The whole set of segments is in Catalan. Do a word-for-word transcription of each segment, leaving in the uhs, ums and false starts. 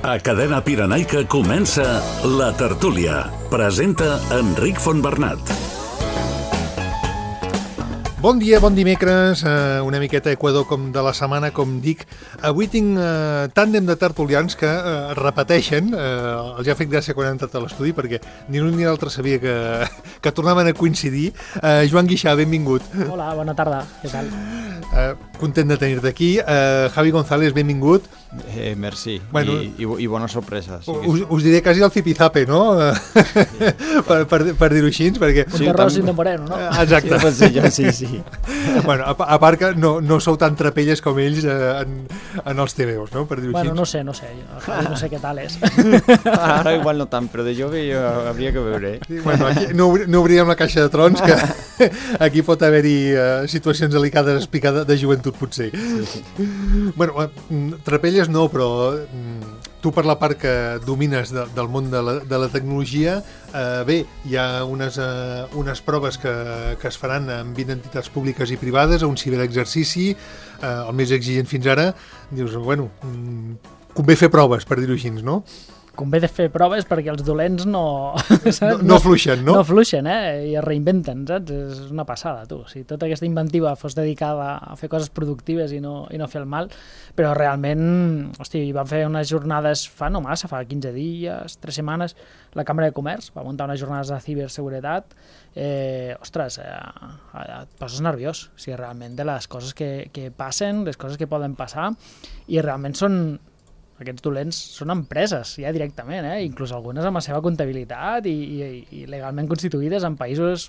A Cadena Pirenaica comença La Tertúlia. Presenta Enric Fontbernat. Bon dia, bon dimecres, uh, una miqueta Equador com de la setmana, com dic. Avui tinc uh, tàndem de tertulians que uh, repeteixen, uh, els ha fet gràcia quan han entrat a l'estudi perquè ni l'un ni l'altre sabia que, que tornaven a coincidir. Uh, Joan Guixà, benvingut. Hola, bona tarda, què tal? Uh, content de tenir-te aquí. Uh, Javi González, benvingut. Eh, merci, bueno, I, i, i bona sorpresa. Sí us, us diré quasi el zipizape, no? Sí. per, per, per dir-ho així, perquè... Un sí, terror sin de moreno, no? Exacte. Sí, jo, sí, sí. Bueno, a, a part que no, no sou tan trapelles com ells eh, en, en els T V Os, no? Per dir-ho bueno, així. no sé, no sé, jo, no sé què tal és. Ara igual no tant, però de jove jo hauria que veure. Eh? Sí, bueno, aquí no, no obríem la caixa de trons, que aquí pot haver-hi uh, situacions delicades explicades de joventut, potser. Sí, sí. Bueno, uh, trapelles no, però uh, tu per la part que domines de, del món de la, de la tecnologia, uh, bé, hi ha unes, uh, unes proves que, que es faran amb vint entitats públiques i privades, a un ciberexercici, uh, el més exigent fins ara. Dius, bueno, um, convé fer proves, per dir-ho així, no? Convé de fer proves perquè els dolents no... No, no fluixen, no? No fluixen, eh? I es reinventen, saps? És una passada, tu. Si tota aquesta inventiva fos dedicada a fer coses productives i no, i no fer el mal, però realment, hosti, van fer unes jornades fa no massa, fa quinze dies, tres setmanes, la Càmera de Comerç va muntar unes jornades de ciberseguretat. Eh, ostres, eh, et poses nerviós, o sigui, realment de les coses que, que passen, les coses que poden passar, i realment són... Aquests dolents són empreses, ja directament, eh? Inclús algunes amb la seva comptabilitat i, i, i legalment constituïdes en països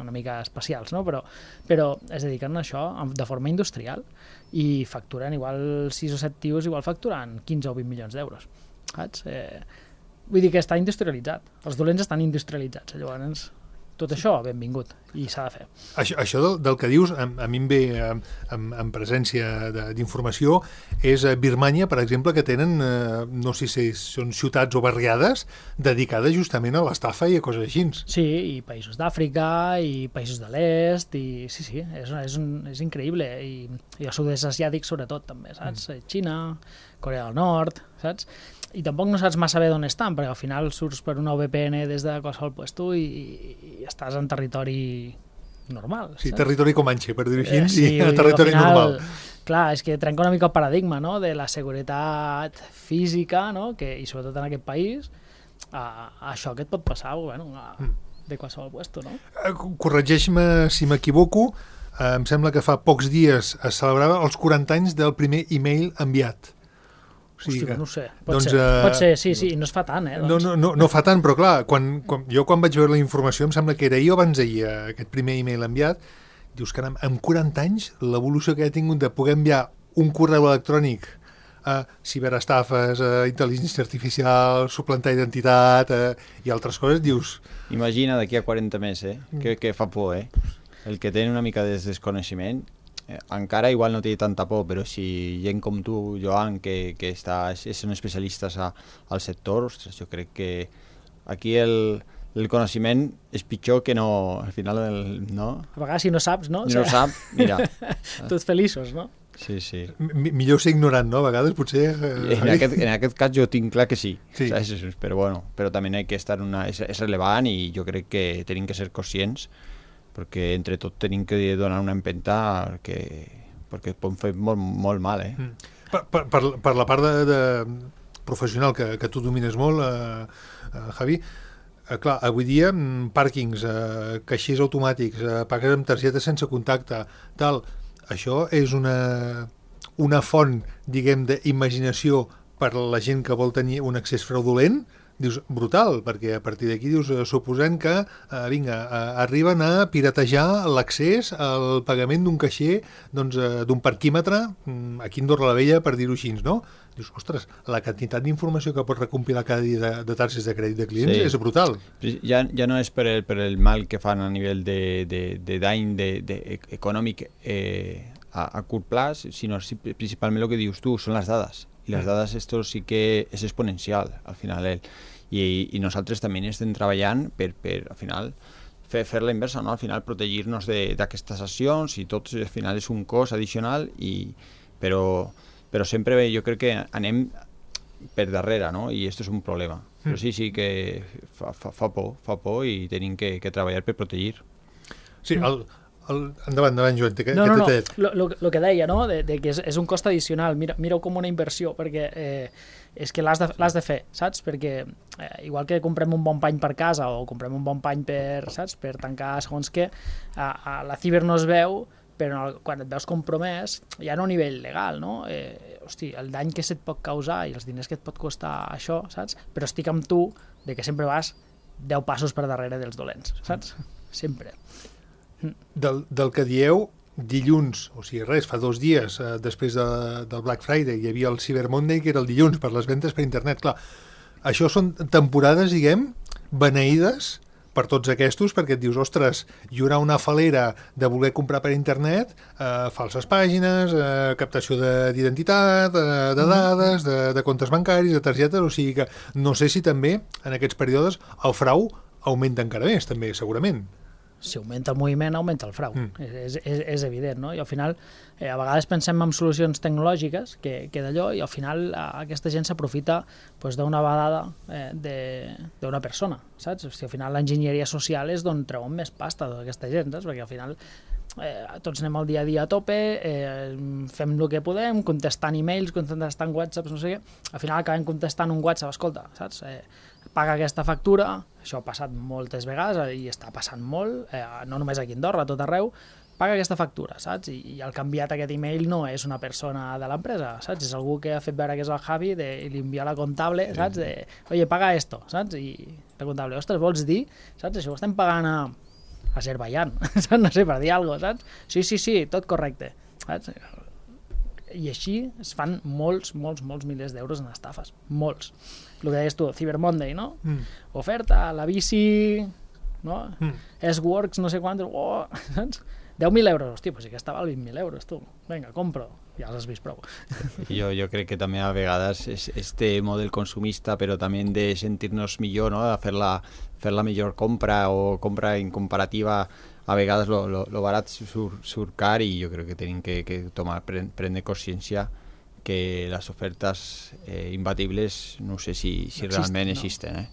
una mica especials, no? Però, però es dediquen a això de forma industrial i facturen igual sis o set tios, igual facturen quinze o vint milions d'euros, saps? Eh, vull dir que està industrialitzat, els dolents estan industrialitzats, llavors tot això benvingut i s'ha de fer. Això, això del, del que dius, a, a mi em ve en, en presència d'informació, és a Birmània, per exemple, que tenen, eh, no sé si són ciutats o barriades dedicades justament a l'estafa i a coses així. Sí, i països d'Àfrica i països de l'est, i sí, sí, és, és, un, és increïble, i, i el sud-est asiàtic sobretot també, saps? Mm. Xina, Corea del Nord, saps? I tampoc no saps massa bé d'on estan, perquè al final surts per una V P N des de qualsevol puesto i, i estàs en territori normal. Sí, saps? territori comanxe, per dir-ho així, eh, sí, i en territori final, normal. Clar, és que trenca una mica el paradigma, no?, de la seguretat física, no?, que, i sobretot en aquest país, a, a això que et pot passar, bueno, a, de qualsevol puesto, no? Corregeix-me si m'equivoco, eh, em sembla que fa pocs dies es celebrava els quaranta anys del primer e-mail enviat. O sigui, Hosti, que, no sé, pot, doncs, ser, uh, pot ser, sí, sí, no es fa tant, eh? Doncs. No, no, no, no fa tant, però clar, quan, quan, jo quan vaig veure la informació, em sembla que era ahir o abans d'ahir, aquest primer e-mail enviat, dius, caram, amb quaranta anys, l'evolució que ha tingut de poder enviar un correu electrònic a ciberestafes, a intel·ligència artificial, suplantar identitat eh, i altres coses, dius... Imagina d'aquí a quaranta més, eh? Que, que fa por, eh? El que té una mica de desconeixement... Eh, encara igual no té tanta por, però si gent com tu, Joan, que, que està, són especialistes a, al sector, ostres, jo crec que aquí el, el coneixement és pitjor que no, al final, el, no? A vegades si no saps, no? Si no o sigui, sap, mira. Tots feliços, no? Sí, sí. M millor ser ignorant, no? A vegades, potser... Eh... En, aquest, en aquest cas jo tinc clar que sí, sí. Saps? Però bueno, però també hay que estar una... És, és rellevant i jo crec que tenim que ser conscients perquè entre tot tenim que donar una empenta perquè, perquè pot fer molt, molt mal, eh? Mm. Per, per, per, per la part de, de professional que, que tu domines molt, eh, eh, Javi, eh, clar, avui dia pàrquings, eh, caixers automàtics, eh, pagues amb targeta sense contacte, tal, això és una, una font, diguem, d'imaginació per a la gent que vol tenir un accés fraudulent. Dius, brutal, perquè a partir d'aquí dius, suposant que, eh, vinga, eh, arriben a piratejar l'accés al pagament d'un caixer, doncs, eh, d'un parquímetre, aquí a Andorra la Vella, per dir-ho així, no? Dius, ostres, la quantitat d'informació que pot recompilar cada dia de, de targes de crèdit de clients sí. és brutal. Ja, ja no és per el, per el mal que fan a nivell de, de, de dany de, de, econòmic eh, a, a curt plaç, sinó principalment el que dius tu, són les dades. I les dades, esto sí que és exponencial, al final. Eh? I, I nosaltres també estem treballant per, per al final, fer, fer la inversa, no? Al final, protegir-nos d'aquestes accions i tot, al final, és un cost addicional, i, però, però sempre jo crec que anem per darrere, no? I això és un problema. Mm. Però sí, sí que fa, fa, fa por, fa por i tenim que, que treballar per protegir. Sí, el, el, endavant, endavant, Joan, que, no, que no, t'he no, no, el que deia, no? de, de que és, és un cost addicional, mira, mira-ho com una inversió, perquè eh, és que l'has de, l'has de fer, saps? Perquè eh, igual que comprem un bon pany per casa o comprem un bon pany per, saps? Per tancar segons què, a, a la ciber no es veu, però quan et veus compromès, ja no a nivell legal, no? Eh, hosti, el dany que se't pot causar i els diners que et pot costar això, saps? Però estic amb tu de que sempre vas deu passos per darrere dels dolents, saps? Sempre. Del, del que dieu, dilluns, o sigui, res, fa dos dies, eh, després de, del Black Friday, hi havia el Cyber Monday, que era el dilluns, per les ventes per internet. Clar, això són temporades, diguem, beneïdes per tots aquests, perquè et dius, ostres, hi haurà una falera de voler comprar per internet, eh, falses pàgines, eh, captació d'identitat, eh, de dades, de, de comptes bancaris, de targetes, o sigui que no sé si també en aquests períodes el frau augmenta encara més, també, segurament. Si augmenta el moviment, augmenta el frau. Mm. És, és, és evident, no? I al final, eh, a vegades pensem en solucions tecnològiques que, que d'allò, i al final a, aquesta gent s'aprofita pues, d'una badada eh, d'una persona, saps? O sigui, al final l'enginyeria social és d'on treuen més pasta d'aquesta gent, saps? Perquè al final eh, tots anem al dia a dia a tope, eh, fem el que podem, contestant e-mails, contestant whatsapps, no sé què, al final acabem contestant un whatsapp, escolta, saps? Eh, paga aquesta factura, això ha passat moltes vegades i està passant molt, eh, no només aquí a Andorra, a tot arreu, paga aquesta factura, saps? I, i el que ha enviat aquest email no és una persona de l'empresa, saps? És algú que ha fet veure que és el Javi de, i li envia la comptable, saps? De, oye, paga esto, saps? I la comptable, ostres, vols dir, saps? Això ho estem pagant a Azerbaiyán, saps? No sé, per dir alguna cosa, saps? Sí, sí, sí, tot correcte, saps? I així es fan molts, molts, molts milers d'euros en estafes, molts. El que deies tu, Cyber Monday, no? Mm. Oferta, la bici, no? Mm. S-Works, no sé quantos, oh, saps? deu mil euros, hosti, pues sí que estava al vint mil euros, tu. Vinga, compro. Ja els has vist prou. Jo, jo crec que també a vegades és este model consumista, però també de sentir-nos millor, no? De fer la, fer la millor compra o compra en comparativa, a vegades lo, lo, lo barat surt, surt car, i jo crec que tenim que, que tomar, prendre consciència que les ofertes eh, imbatibles no sé si, si no realment no. existen. Eh?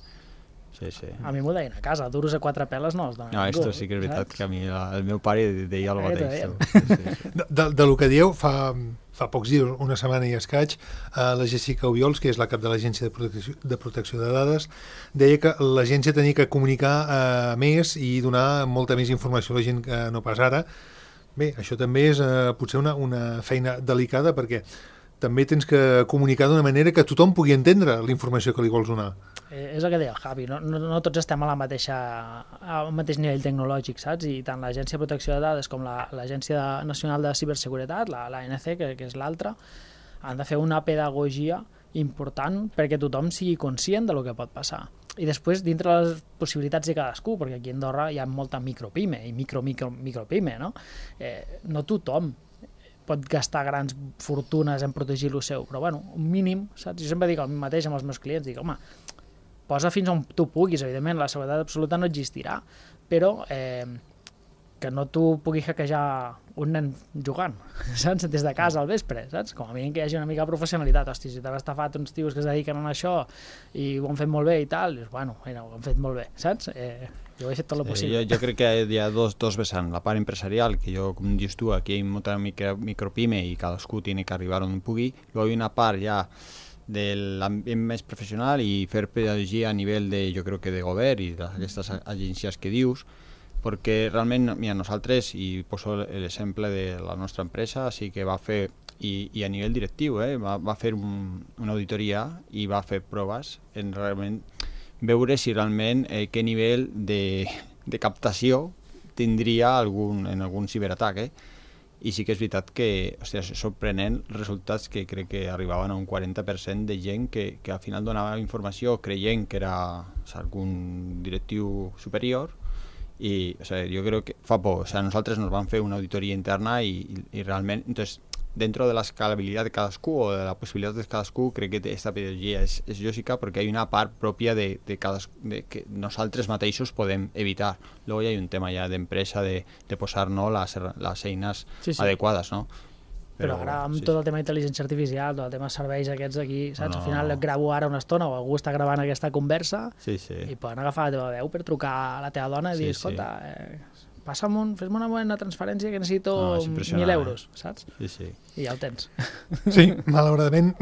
Sí, sí. A mi m'ho deien a casa, duros a quatre peles no els donen no, ningú. Esto sí que és veritat, saps? Que a mi la, el meu pare deia el mateix. Sí, sí. De, de, de lo que dieu, fa, fa pocs dies, una setmana i escaig, eh, la Jessica Obiols, que és la cap de l'Agència de Protecció, de Protecció de Dades, deia que l'agència tenia que comunicar eh, més i donar molta més informació a la gent que no pas ara. Bé, això també és eh, potser una, una feina delicada, perquè també tens que comunicar d'una manera que tothom pugui entendre la informació que li vols donar. Eh, és el que deia el Javi, no, no, no tots estem a la mateixa, al mateix nivell tecnològic, saps? I tant l'Agència de Protecció de Dades com l'Agència la, Nacional de Ciberseguretat, la, la A N C, que, que és l'altra, han de fer una pedagogia important perquè tothom sigui conscient de lo que pot passar. I després, dintre les possibilitats de cadascú, perquè aquí a Andorra hi ha molta micropime i micro, micro, micropime, no? Eh, no tothom pot gastar grans fortunes en protegir lo seu, però bueno, un mínim, saps? Jo sempre dic el mateix amb els meus clients, dic, home, posa fins on tu puguis, evidentment, la seguretat absoluta no existirà, però eh, que no t'ho pugui hackejar un nen jugant, saps? Des de casa al vespre, saps? Com a mínim que hi hagi una mica de professionalitat. Hosti, si t'han estafat uns tios que es dediquen a això i ho han fet molt bé i tal, dius, bueno, mira, ho han fet molt bé, saps? Eh, jo he fet tot el possible. Sí, jo, jo crec que hi ha dos, dos vessants. La part empresarial, que jo, com dius tu, aquí hi ha molta micro, micropime i cadascú tiene que arribar on pugui. Luego hi ha una part ja de l'ambient més professional i fer pedagogia a nivell de, jo crec que de govern i d'aquestes agències que dius, perquè realment, mira, nosaltres, i poso l'exemple de la nostra empresa, sí que va fer, i, i a nivell directiu, eh, va, va fer un, una auditoria i va fer proves en realment veure si realment eh, què nivell de, de captació tindria algun, en algun ciberatac, eh? I sí que és veritat que, hòstia, és sorprenent resultats que crec que arribaven a un quaranta per cent de gent que, que al final donava informació creient que era, o sea, algun directiu superior. Y, o sea, yo creo que fa por, o sea, nosaltres nos van fer una auditoria interna y, y, y realment, entonces, dentro de la escalabilitat de cadascú o de la possibilitat de cadascú, crec que aquesta pedagogia és, és lògica perquè hi ha una part pròpia de, de, cadascú, de que nosaltres mateixos podem evitar. Luego hi ha un tema ja d'empresa de, de posar, no, les, les eines sí, sí. adequades, no? Però, però ara amb sí, tot el tema d'intel·ligència artificial, tot el tema de serveis aquests aquí, saps? No, no. Al final et gravo ara una estona o algú està gravant aquesta conversa sí, sí. i poden agafar la teva veu per trucar a la teva dona i sí, dir, escolta, sí. eh, passa'm un, fes-me una bona transferència que necessito no, mil euros, saps? Sí, sí. I ja el tens. Sí, malauradament,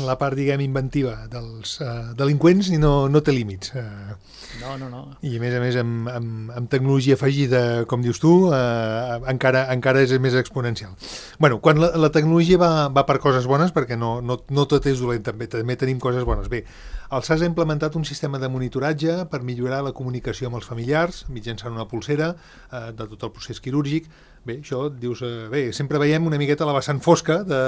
la part, diguem, inventiva dels uh, delinqüents no, no té límits. Uh, no, no, no. I a més a més, amb, amb, amb tecnologia afegida, com dius tu, uh, encara, encara és més exponencial. Bueno, quan la, la tecnologia va, va per coses bones, perquè no, no, no tot és dolent, també, també tenim coses bones. Bé, el S A S ha implementat un sistema de monitoratge per millorar la comunicació amb els familiars mitjançant una pulsera eh, de tot el procés quirúrgic. Bé, això et dius... Eh, bé, sempre veiem una miqueta la vessant fosca de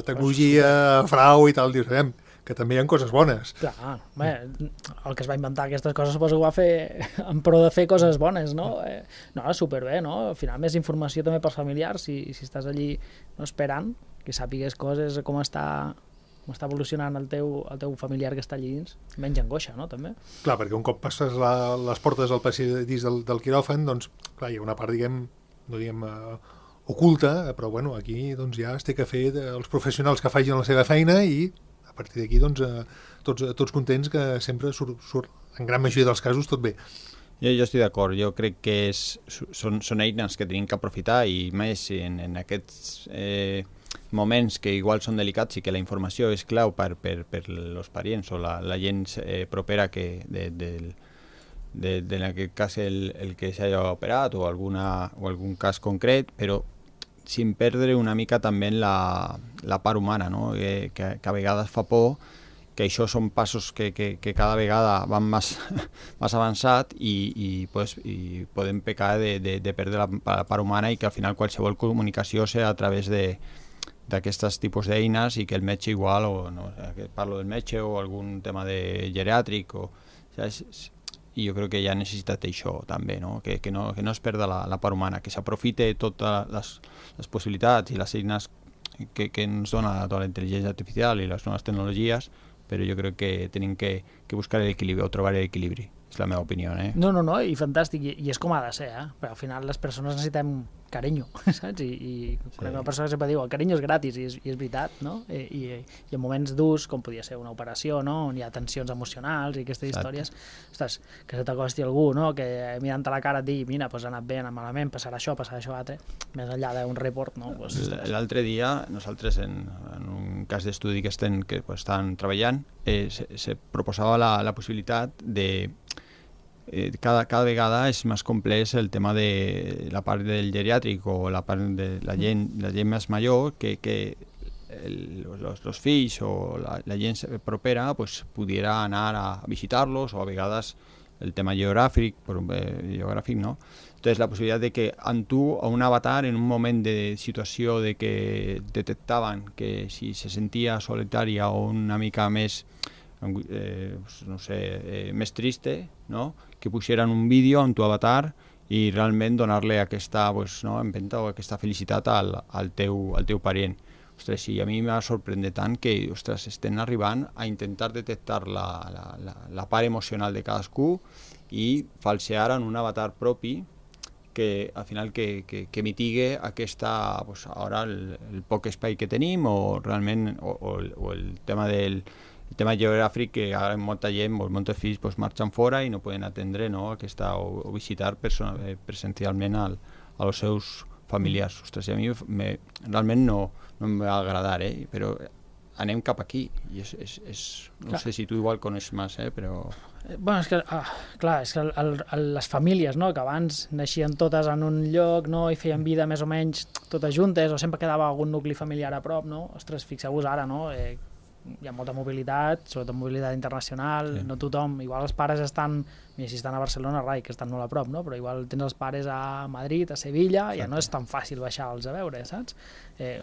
tecnologia, frau i tal. Dius, veiem que també hi ha coses bones. Clar, bé, el que es va inventar aquestes coses suposo que ho va fer en pro de fer coses bones, no? Eh, no, superbé, no? Al final més informació també pels familiars, si, si estàs allí no, esperant, que sàpigues coses, com està... com està evolucionant el teu, el teu familiar que està allí dins, menys angoixa, no?, també. Clar, perquè un cop passes la, les portes del passadís del, del quiròfan, doncs, clar, hi ha una part, diguem, no diguem, uh, oculta, però, bueno, aquí, doncs, ja es té que fer els professionals que facin la seva feina i, a partir d'aquí, doncs, uh, tots, tots contents que sempre surt, surt, en gran majoria dels casos, tot bé. Jo, jo estic d'acord, jo crec que és, són, són eines que tenim que aprofitar i més en, en aquests... Eh, moments que igual són delicats i que la informació és clau per, per, per els parients o la, la gent eh, propera que de, de, de, de, en aquest cas el, el que s'hagi operat o, alguna, o algun cas concret, però sin perdre una mica també la, la part humana, no? que, que, que a vegades fa por, que això són passos que, que, que cada vegada van més, més avançat i, i, pues, i podem pecar de, de, de perdre la, la part humana i que al final qualsevol comunicació sigui a través de d'aquestes tipus d'eines i que el metge igual, o no, parlo del metge o algun tema de geriàtric, o, o sigui, i jo crec que ja ha necessitat això també, no? Que, que, no, que no es perda la, la part humana, que s'aprofite totes les, les possibilitats i les eines que, que ens dona tota la intel·ligència artificial i les noves tecnologies, però jo crec que tenim que, que buscar l'equilibri o trobar l'equilibri. És la meva opinió, eh? No, no, no, i fantàstic, i, i és com ha de ser, eh? Però al final les persones necessitem carinyo, saps? I, i sí. Una persona sempre diu, el carinyo és gratis, i és, i és veritat, no? I, i, i en moments durs, com podia ser una operació, no? On hi ha tensions emocionals i aquestes Exacte. Històries, ostres, que se t'acosti algú, no? Que mirant a la cara et digui, mira, pues ha anat bé, ha anat malament, passarà això, passarà això altre, més enllà d'un report, no? Pues, l'altre dia, nosaltres en, en un cas d'estudi que estem, que pues, estan treballant, eh, se, se proposava la, la possibilitat de Eh, cada, cada vegada és més complex el tema de la part del geriàtric o la part de la gent, la gent més major, que, que el, los, los fills o la, la gent propera pues, pudiera anar a visitar-los, o a vegades el tema geogràfic, eh, geogràfic no? Entonces la possibilitat de que amb tu o un avatar en un moment de situació de que detectaven que si se sentia solitària o una mica més Eh, no sé, eh, més triste, no? Que pusieran un vídeo amb tu avatar i realment donar-li aquesta, pues, no, empenta o aquesta felicitat al, al, teu, al teu parient. Ostres, sí, a mi m'ha sorprès tant que, ostres, estem arribant a intentar detectar la, la, la, la part emocional de cadascú i falsear en un avatar propi que al final que, que, que mitigue aquesta, pues, ara el, el poc espai que tenim o realment o, o, o el tema del el tema geogràfic, que ara molta gent, molts fills pues, marxen fora i no poden atendre, no, aquesta, o, o visitar person, eh, presencialment al, als seus familiars. Ostres, a mi me, realment no, no em va agradar, eh? Però anem cap aquí i és, és, és no clar. Sé si tu igual coneixes més, eh? Però... Bueno, és que, ah, clar, és que el, el, les famílies, no?, que abans naixien totes en un lloc, no?, i feien vida més o menys totes juntes, o sempre quedava algun nucli familiar a prop, no? Ostres, fixeu-vos ara, no?, eh, hi ha molta mobilitat, sobretot mobilitat internacional, sí. No tothom, igual els pares estan, mira, si estan a Barcelona, rai, que estan molt a prop, no? Però igual tens els pares a Madrid, a Sevilla, ja no és tan fàcil baixar-los a veure, saps? Eh,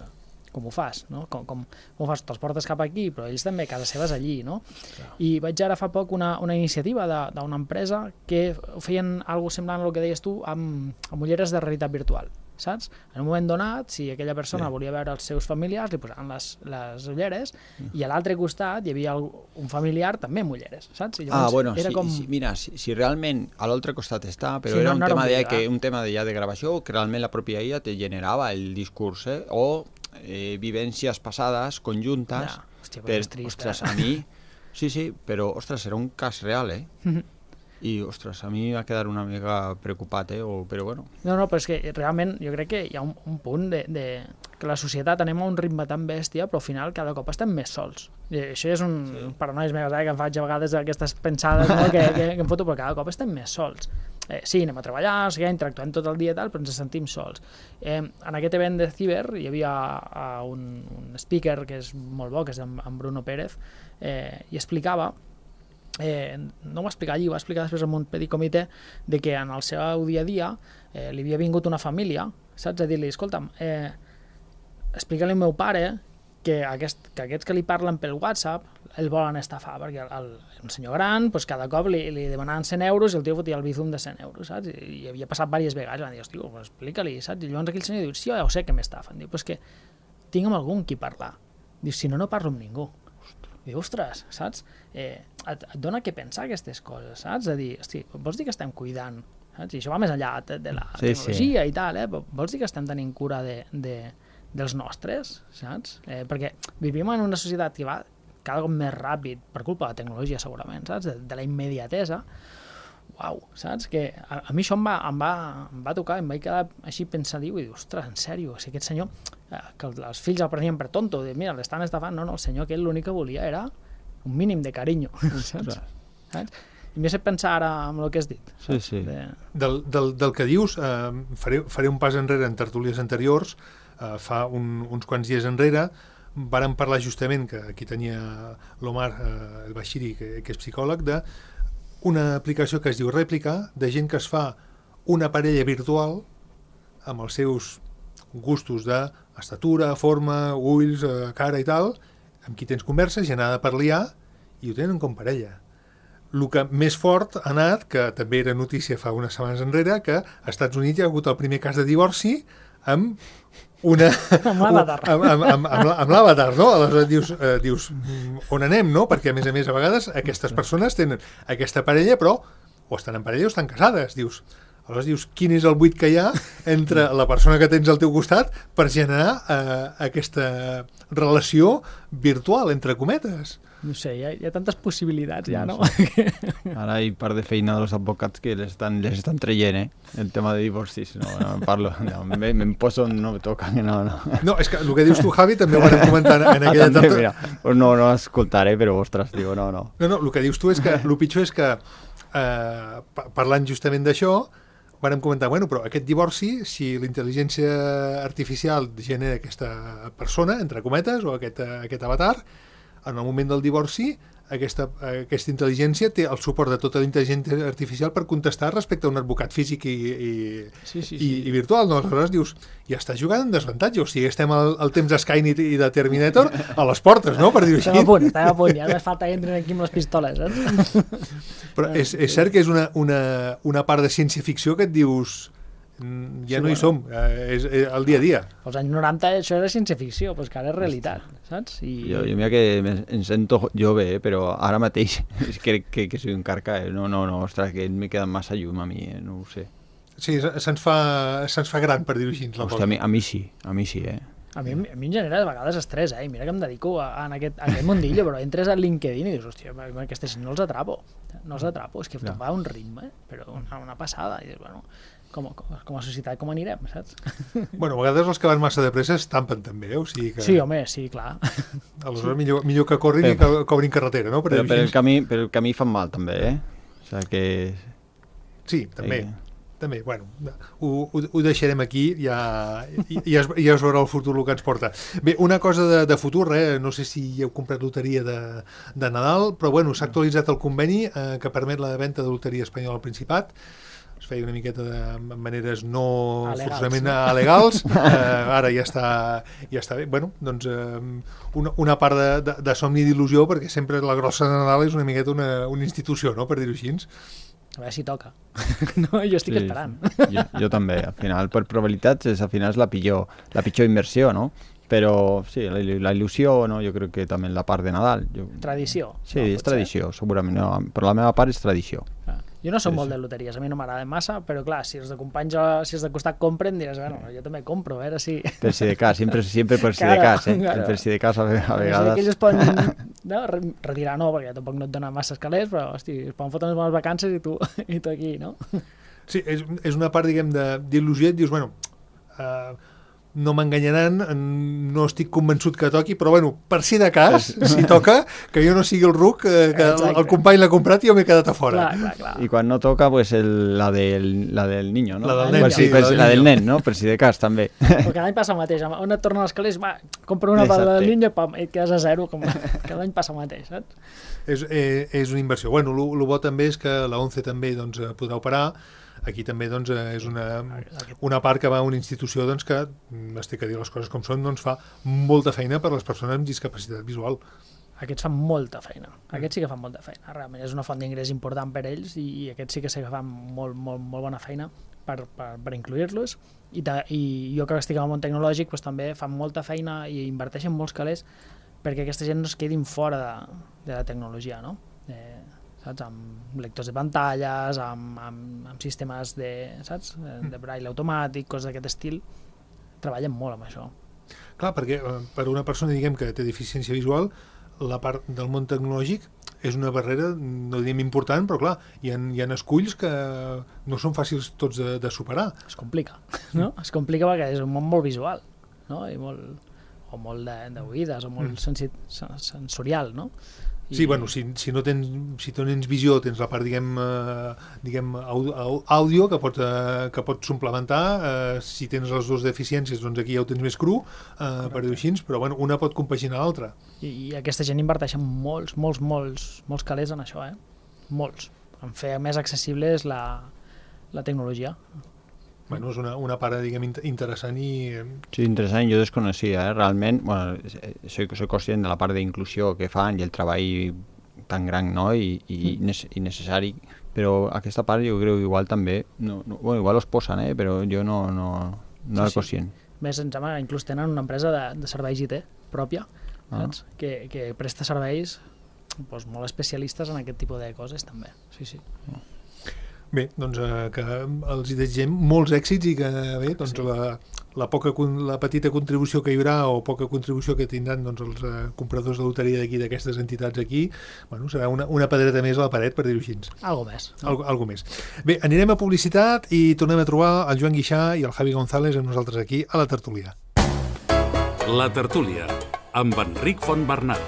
com ho fas, no? Com, com, com ho fas? Te'ls portes cap aquí, però ells també, casa seva és allí, no? Clar. I vaig ara fa poc una, una iniciativa d'una empresa que feien alguna cosa semblant al que deies tu amb, amb ulleres de realitat virtual, saps? En un moment donat, si aquella persona sí. volia veure els seus familiars, li posaven les, les ulleres mm. i a l'altre costat hi havia un familiar també amb ulleres, saps? I ah, bueno, era sí, com... sí, mira, si, si realment a l'altre costat està, però sí, era, no, un, no tema de, que, un tema de, ja de gravació que realment la pròpia I A te generava el discurs, eh? O eh, vivències passades, conjuntes, Ja, hòstia, per, és trist, ostres, eh? a mi... Sí, sí, però, ostres, era un cas real, eh? I, ostres, a mi va quedar una mica preocupat, eh? O, però bueno... No, no, però és que realment jo crec que hi ha un, un punt de, de... que la societat anem a un ritme tan bèstia, però al final cada cop estem més sols. I això és un sí. paranois meves, eh? Que em faig a vegades aquestes pensades, no? que, que, que em foto, però cada cop estem més sols. Eh, sí, anem a treballar, o sigui, interactuem tot el dia i tal, però ens sentim sols. Eh, en aquest event de Ciber hi havia uh, un, un speaker que és molt bo, que és en, en Bruno Pérez, eh, i explicava Eh, no ho va explicar allí, ho va explicar després al Montpellier Comitè, de que en el seu dia a dia eh, li havia vingut una família, saps, a dir-li, escolta'm, eh, explica-li al meu pare que, aquest, que aquests que li parlen pel WhatsApp el volen estafar, perquè el, el, un senyor gran, pues, cada cop li, li demanaven cent euros i el tio fotia el bizum de cent euros, saps? I, i havia passat diverses vegades, i van dir, hosti, pues, explica-li, saps? I llavors aquell senyor diu, sí, ja ho sé que m'estafen, diu, pues que tinc amb algun qui parlar, diu, si no, no parlo amb ningú. Diu, ostres, saps? Eh, et, et dona què pensar aquestes coses, saps? A dir, hosti, vols dir que estem cuidant, saps? I això va més enllà de, de la sí, tecnologia sí. i tal, eh? Vols dir que estem tenint cura de, de, dels nostres, saps? Eh, perquè vivim en una societat que va cada cop més ràpid, per culpa de la tecnologia segurament, saps? De, de la immediatesa. Uau, saps? Que a, a mi això em va, em, va, em va tocar, em vaig quedar així pensadiu i dic, ostres, en sèrio, si aquest senyor, eh, que els fills el prenien per tonto, de, mira, l'estan estafant, no, no, el senyor que ell l'únic que volia era un mínim de carinyo, saps? saps? I m'he fet pensar ara amb el que has dit. Sí, sí. De... Del, del, del que dius, eh, faré, faré un pas enrere en tertúlies anteriors, eh, fa un, uns quants dies enrere, vàrem parlar justament, que aquí tenia l'Omar eh, el Bashiri, que, que és psicòleg, de una aplicació que es diu Rèplica, de gent que es fa una parella virtual amb els seus gustos d'estatura, forma, ulls, eh, cara i tal, amb qui tens converses i anada per liar, i ho tenen com parella. El que més fort ha anat, que també era notícia fa unes setmanes enrere, que als Estats Units hi ha hagut el primer cas de divorci amb una... amb l'avatar. Amb, amb, amb, amb, amb l'avatar, no? Aleshores dius, eh, dius, on anem, no? Perquè a més a més a vegades aquestes persones tenen aquesta parella, però o estan en parella o estan casades, dius. Aleshores dius, quin és el buit que hi ha entre la persona que tens al teu costat per generar eh, aquesta relació virtual, entre cometes. No sé, hi ha, hi ha tantes possibilitats ja, no? Ara hi part de feina dels advocats que les estan, les estan traient, eh? El tema de divorcis, no, no en parlo, no, me'n poso on no me toca, no, no. No, és que el que dius tu, Javi, també ho vam comentar en aquella ah, també, mira, pues no, no escoltaré, però ostres, digo, no, no. No, no, el que dius tu és que, el pitjor és que, eh, parlant justament d'això, vam comentar, bueno, però aquest divorci, si la intel·ligència artificial genera aquesta persona, entre cometes, o aquest, aquest avatar, en el moment del divorci, aquesta, aquesta intel·ligència té el suport de tota la intel·ligència artificial per contestar respecte a un advocat físic i, i, sí, sí, sí. i, i virtual. No? Aleshores dius, ja estàs jugant en desavantatge, o sigui, estem al, al temps de Skynet i de Terminator a les portes, no?, per dir-ho així. Estem a punt, estem a punt, ja només falta que entren aquí amb les pistoles, saps? Però és, és cert que és una, una, una part de ciència-ficció que et dius... ja sí, no hi bueno. som, eh, és, és el dia a dia. Als anys noranta això era ciència-ficció, però és que ara és realitat, saps? I... Jo, jo mira que em sento jove, eh, però ara mateix crec que, que soy un carca, eh? no, no, no, ostres, que me queda massa llum a mi, eh? No ho sé. Sí, se'ns fa, se'ns fa gran, per dir-ho així. Hòstia, a mi, a mi sí, a mi sí, eh? A mi, a mi em genera de vegades estrès, eh? I mira que em dedico a, a, aquest, a aquest mundillo, però entres a LinkedIn i dius, hòstia, aquestes no els atrapo, no els atrapo, és que no. Va a un ritme, però una, una passada, i dius, bueno... Com, com a societat, com anirem, saps? Bueno, a vegades els que van massa de pressa es tampen també, eh? O sigui que... Sí, home, sí, clar. Aleshores, millor, millor que corrin però, i que cobrin carretera, no? Per però per el, camí, per el camí fan mal, també, eh? O sigui que... Sí, també. Eh. També, bueno, ho, ho, ho deixarem aquí, ja, ja, es, ja es veurà el futur el que ens porta. Bé, una cosa de, de futur, eh? No sé si heu comprat loteria de, de Nadal, però bueno, s'ha actualitzat el conveni eh, que permet la venda de loteria espanyola al Principat. Es feia una miqueta de maneres no alegals, forçament no? alegals, eh, ara ja està, ja està bé. Bueno, doncs eh, una, una part de, de, de somni d'il·lusió, perquè sempre la grossa de Nadal és una miqueta una, una institució, no?, per dir-ho així. A veure si toca. No, jo estic sí, esperant. Jo, jo també, al final, per probabilitats, és, al final és la pitjor, la pitjor inversió, no? Però sí, la, la il·lusió, no? Jo crec que també la part de Nadal. Jo... Tradició. Sí, no, és tradició, ser? Segurament. No, però la meva part és tradició. Ah. Jo no soc Sí, molt sí. de loteries, a mi no m'agrada massa, però clar, si els de companys, si els de costat compren, diràs, bueno, jo també compro, a veure si... Per si de cas, siempre, siempre por si de Claro, cas, eh? claro. Per si de cas a, ve- a Si vegades... aquells es poden no, re- retirar, no, perquè tampoc no et dona massa calés, però, hosti, es poden fotre unes bones vacances i tu, i tu aquí, no? Sí, és, és una part, diguem, de- d'il·lusió, et dius, bueno, uh, no m'enganyaran, no estic convençut que toqui, però bueno, per si de cas, si toca, que jo no sigui el ruc, eh, que el, Exacte. el company l'ha comprat i jo m'he quedat a fora. Clar, clar, clar. Y cuando no toca, pues el, la, del, la del niño, ¿no? La del nen, Per si- sí, per la si- del la del niño. nen, no? Per si de cas, també. Però cada any passa el mateix, on et tornen els calés, va, compra una per Exacte. la línia, pam, i et quedes a zero, com cada any passa el mateix, saps? És, eh, és una inversió. Bueno, el bo també és que la ONCE també doncs, eh, podrà operar. Aquí també doncs, eh, és una, una part que va a una institució doncs, que, mm, es té que dir les coses com són, doncs, fa molta feina per a les persones amb discapacitat visual. Aquests fan molta feina, aquests sí que fan molta feina, realment és una font d'ingrés important per ells i aquests sí que sé que fan molt, molt, molt bona feina per, per, per incluir-los i, ta, i jo que estic al món tecnològic doncs, també fan molta feina i inverteixen molts calés perquè aquesta gent no es quedin fora de, de la tecnologia, no? Eh, saps? Amb lectors de pantalles, amb, amb, amb sistemes de, saps? de braille automàtic, coses d'aquest estil, treballen molt amb això. Clar, perquè eh, per una persona diguem que té deficiència visual, la part del món tecnològic és una barrera, no diríem important, però clar, hi ha, hi ha esculls que no són fàcils tots de, de superar. Es complica, no? Es complica perquè és un món molt visual, no? I molt, o molt d'oïdes, o molt sensi, sensorial, no? I, Sí, bueno, si, si no tens, si tens visió, tens la part, diguem, eh, diguem àudio, àudio que pot, eh, que pot suplementar, eh, si tens les dues deficiències, doncs aquí ja ho tens més cru, eh, per dir-ho així, però bueno, una pot compaginar l'altra. I, I aquesta gent inverteix molts, molts, molts, molts calés en això, eh? Molts. En fer més accessible és la, la tecnologia. Bueno, és una, una part, diguem, int- interessant i... eh, Sí, interessant, jo desconeixia, eh? Realment, bueno, soy, soy conscient de la part d'inclusió que fan i el treball tan gran, no? I, i, mm. i necessari, però aquesta part jo crec que igual també, no, no, bueno, igual els posen, eh? Però jo no, no, no Sí, era sí. conscient. Més, em sembla que inclús tenen una empresa de, de serveis I T pròpia, Ah. saps? Que, que presta serveis doncs, molt especialistes en aquest tipus de coses, també. Sí, sí. Bé, doncs eh, que els hi desitgem molts èxits i que bé, doncs Sí. la, la, poca, con- la petita contribució que hi haurà o poca contribució que tindran doncs, els eh, compradors de loteria d'aquí, d'aquestes entitats aquí, bueno, serà una, una pedreta més a la paret, per dir-ho així. Algo més. Algo, algo més. Bé, anirem a publicitat i tornem a trobar el Joan Guixà i el Javi González amb nosaltres aquí a la tertúlia. La tertúlia, amb Enric Fontbernat.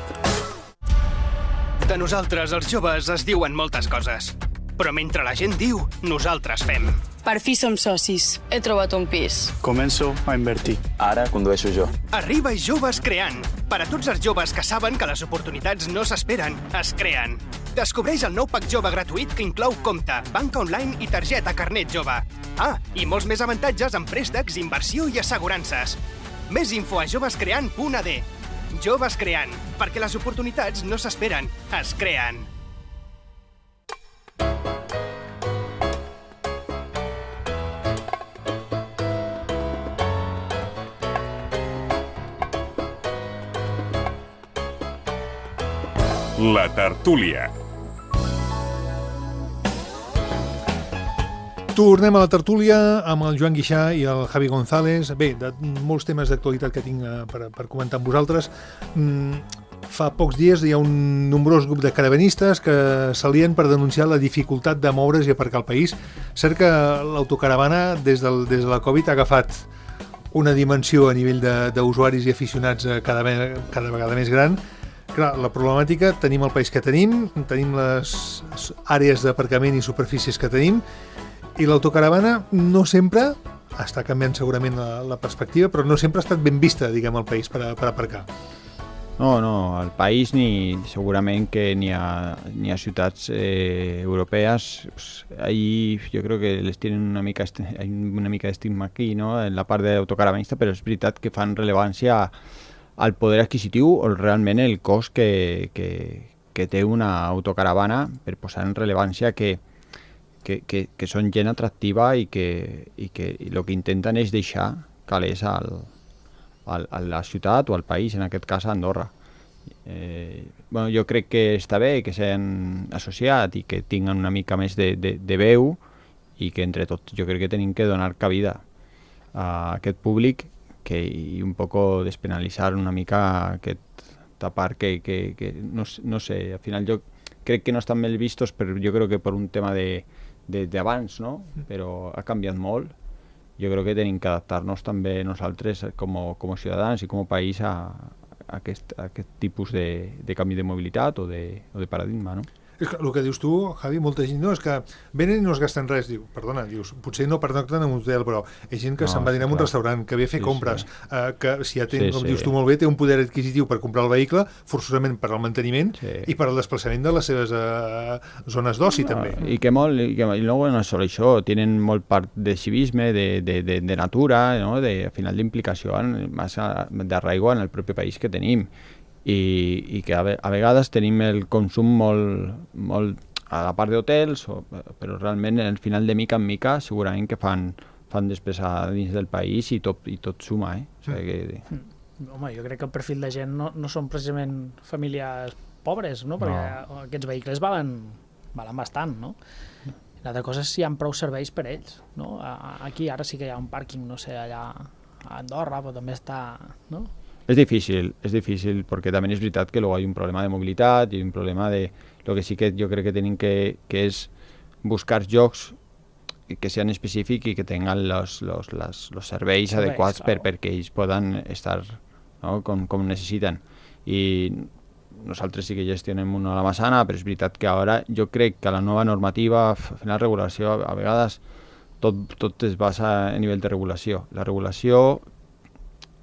De nosaltres, els joves, es diuen moltes coses. Però mentre la gent diu, nosaltres fem. Per fi som socis. He trobat un pis. Començo a invertir. Ara condueixo jo. Arriba i Joves Creant. Per a tots els joves que saben que les oportunitats no s'esperen, es creen. Descobreix el nou pack jove gratuït que inclou compte, banca online i targeta carnet jove. Ah, i molts més avantatges en préstecs, inversió i assegurances. Més info a jovescreant punt a d. Joves Creant, perquè les oportunitats no s'esperen, es creen. La tertúlia. Tornem a la tertúlia amb el Joan Guixà i el Javi González. Bé, de molts temes d'actualitat que tinc eh, per, per comentar amb vosaltres. Mm, fa pocs dies hi ha un nombrós grup de caravanistes que s'alien per denunciar la dificultat de moure's i aparcar al país. Cert que l'autocaravana des, del, des de la Covid ha agafat una dimensió a nivell d'usuaris i aficionats eh, cada, ve- cada vegada més gran. Clar, la problemàtica, tenim el país que tenim, tenim les àrees d'aparcament i superfícies que tenim, i l'autocaravana no sempre, està canviant segurament la, la perspectiva, però no sempre ha estat ben vista, diguem, al país per, a, per aparcar. No, no, al país ni segurament que ni a, ni a ciutats eh, europees, pues, ahí yo creo que les tienen una mica, est- hay una mica d'estigma aquí, no?, en la part d'autocaravanista, però és veritat que fan rellevància al poder adquisitiu o realment el cost que, que, que té una autocaravana, per posar en rellevància que, que, que, que són gent atractiva i que, i que i el que intenten és deixar calés al, al, a la ciutat o al país, en aquest cas a Andorra. Eh, bueno, jo crec que està bé que s'han associat i que tinguen una mica més de, de, de veu i que entre tots jo crec que tenim que donar cabida a aquest públic que, i un poco despenalitzar una mica aquesta part que, que, que no, no sé, al final jo crec que no estan ben vistos, però jo crec que per un tema de, de, d'abans, no? Però ha canviat molt. Jo crec que tenim que adaptar-nos també nosaltres com, com a ciutadans i com a país a, a, aquest, a aquest tipus de, de canvi de mobilitat o de, o de paradigma, no? És que el que dius tu, Javi, molta gent, no, és que venen i no es gasten res, diu, perdona, dius, potser no pernocten en un hotel, però hi ha gent que no, se'n va dinar en un restaurant, que ve a fer sí, compres, sí. Eh, que si ja té, sí, com sí. dius tu molt bé, té un poder adquisitiu per comprar el vehicle, forçosament per al manteniment sí. i per al desplaçament de les seves eh, zones d'oci, no, també. I que molt, i, que, i no és sol això, tenen molt part de civisme, de, de, de, de natura, no? De, al final d'implicació massa d'arraigo en el propi país que tenim. I, i que a, ve, a vegades tenim el consum molt, molt a la part d'hotels, però realment al final de mica en mica segurament que fan, fan despesa dins del país i tot, i tot suma. Eh? O sigui que... mm. Home, jo crec que el perfil de gent no, no són precisament famílies pobres, no? Perquè no. Aquests vehicles valen, valen bastant, no? L'altra cosa és si hi ha prou serveis per ells, no? Aquí ara sí que hi ha un pàrquing, no sé, allà a Andorra, però també està... no? Es difícil, es difícil, porque también es verdad que luego hay un problema de movilidad y un problema de... Lo que sí que yo creo que tienen que, que es buscar jocs que sean específicos y que tengan los, los, los, los serveis sí, adecuats claro. per, perquè ells poden estar, no? com, com necessiten. I nosaltres sí que gestionem una a la Massana, però és veritat que ara jo crec que la nova normativa, al final regulació, a vegades tot, tot es basa a nivell de regulació. La regulació...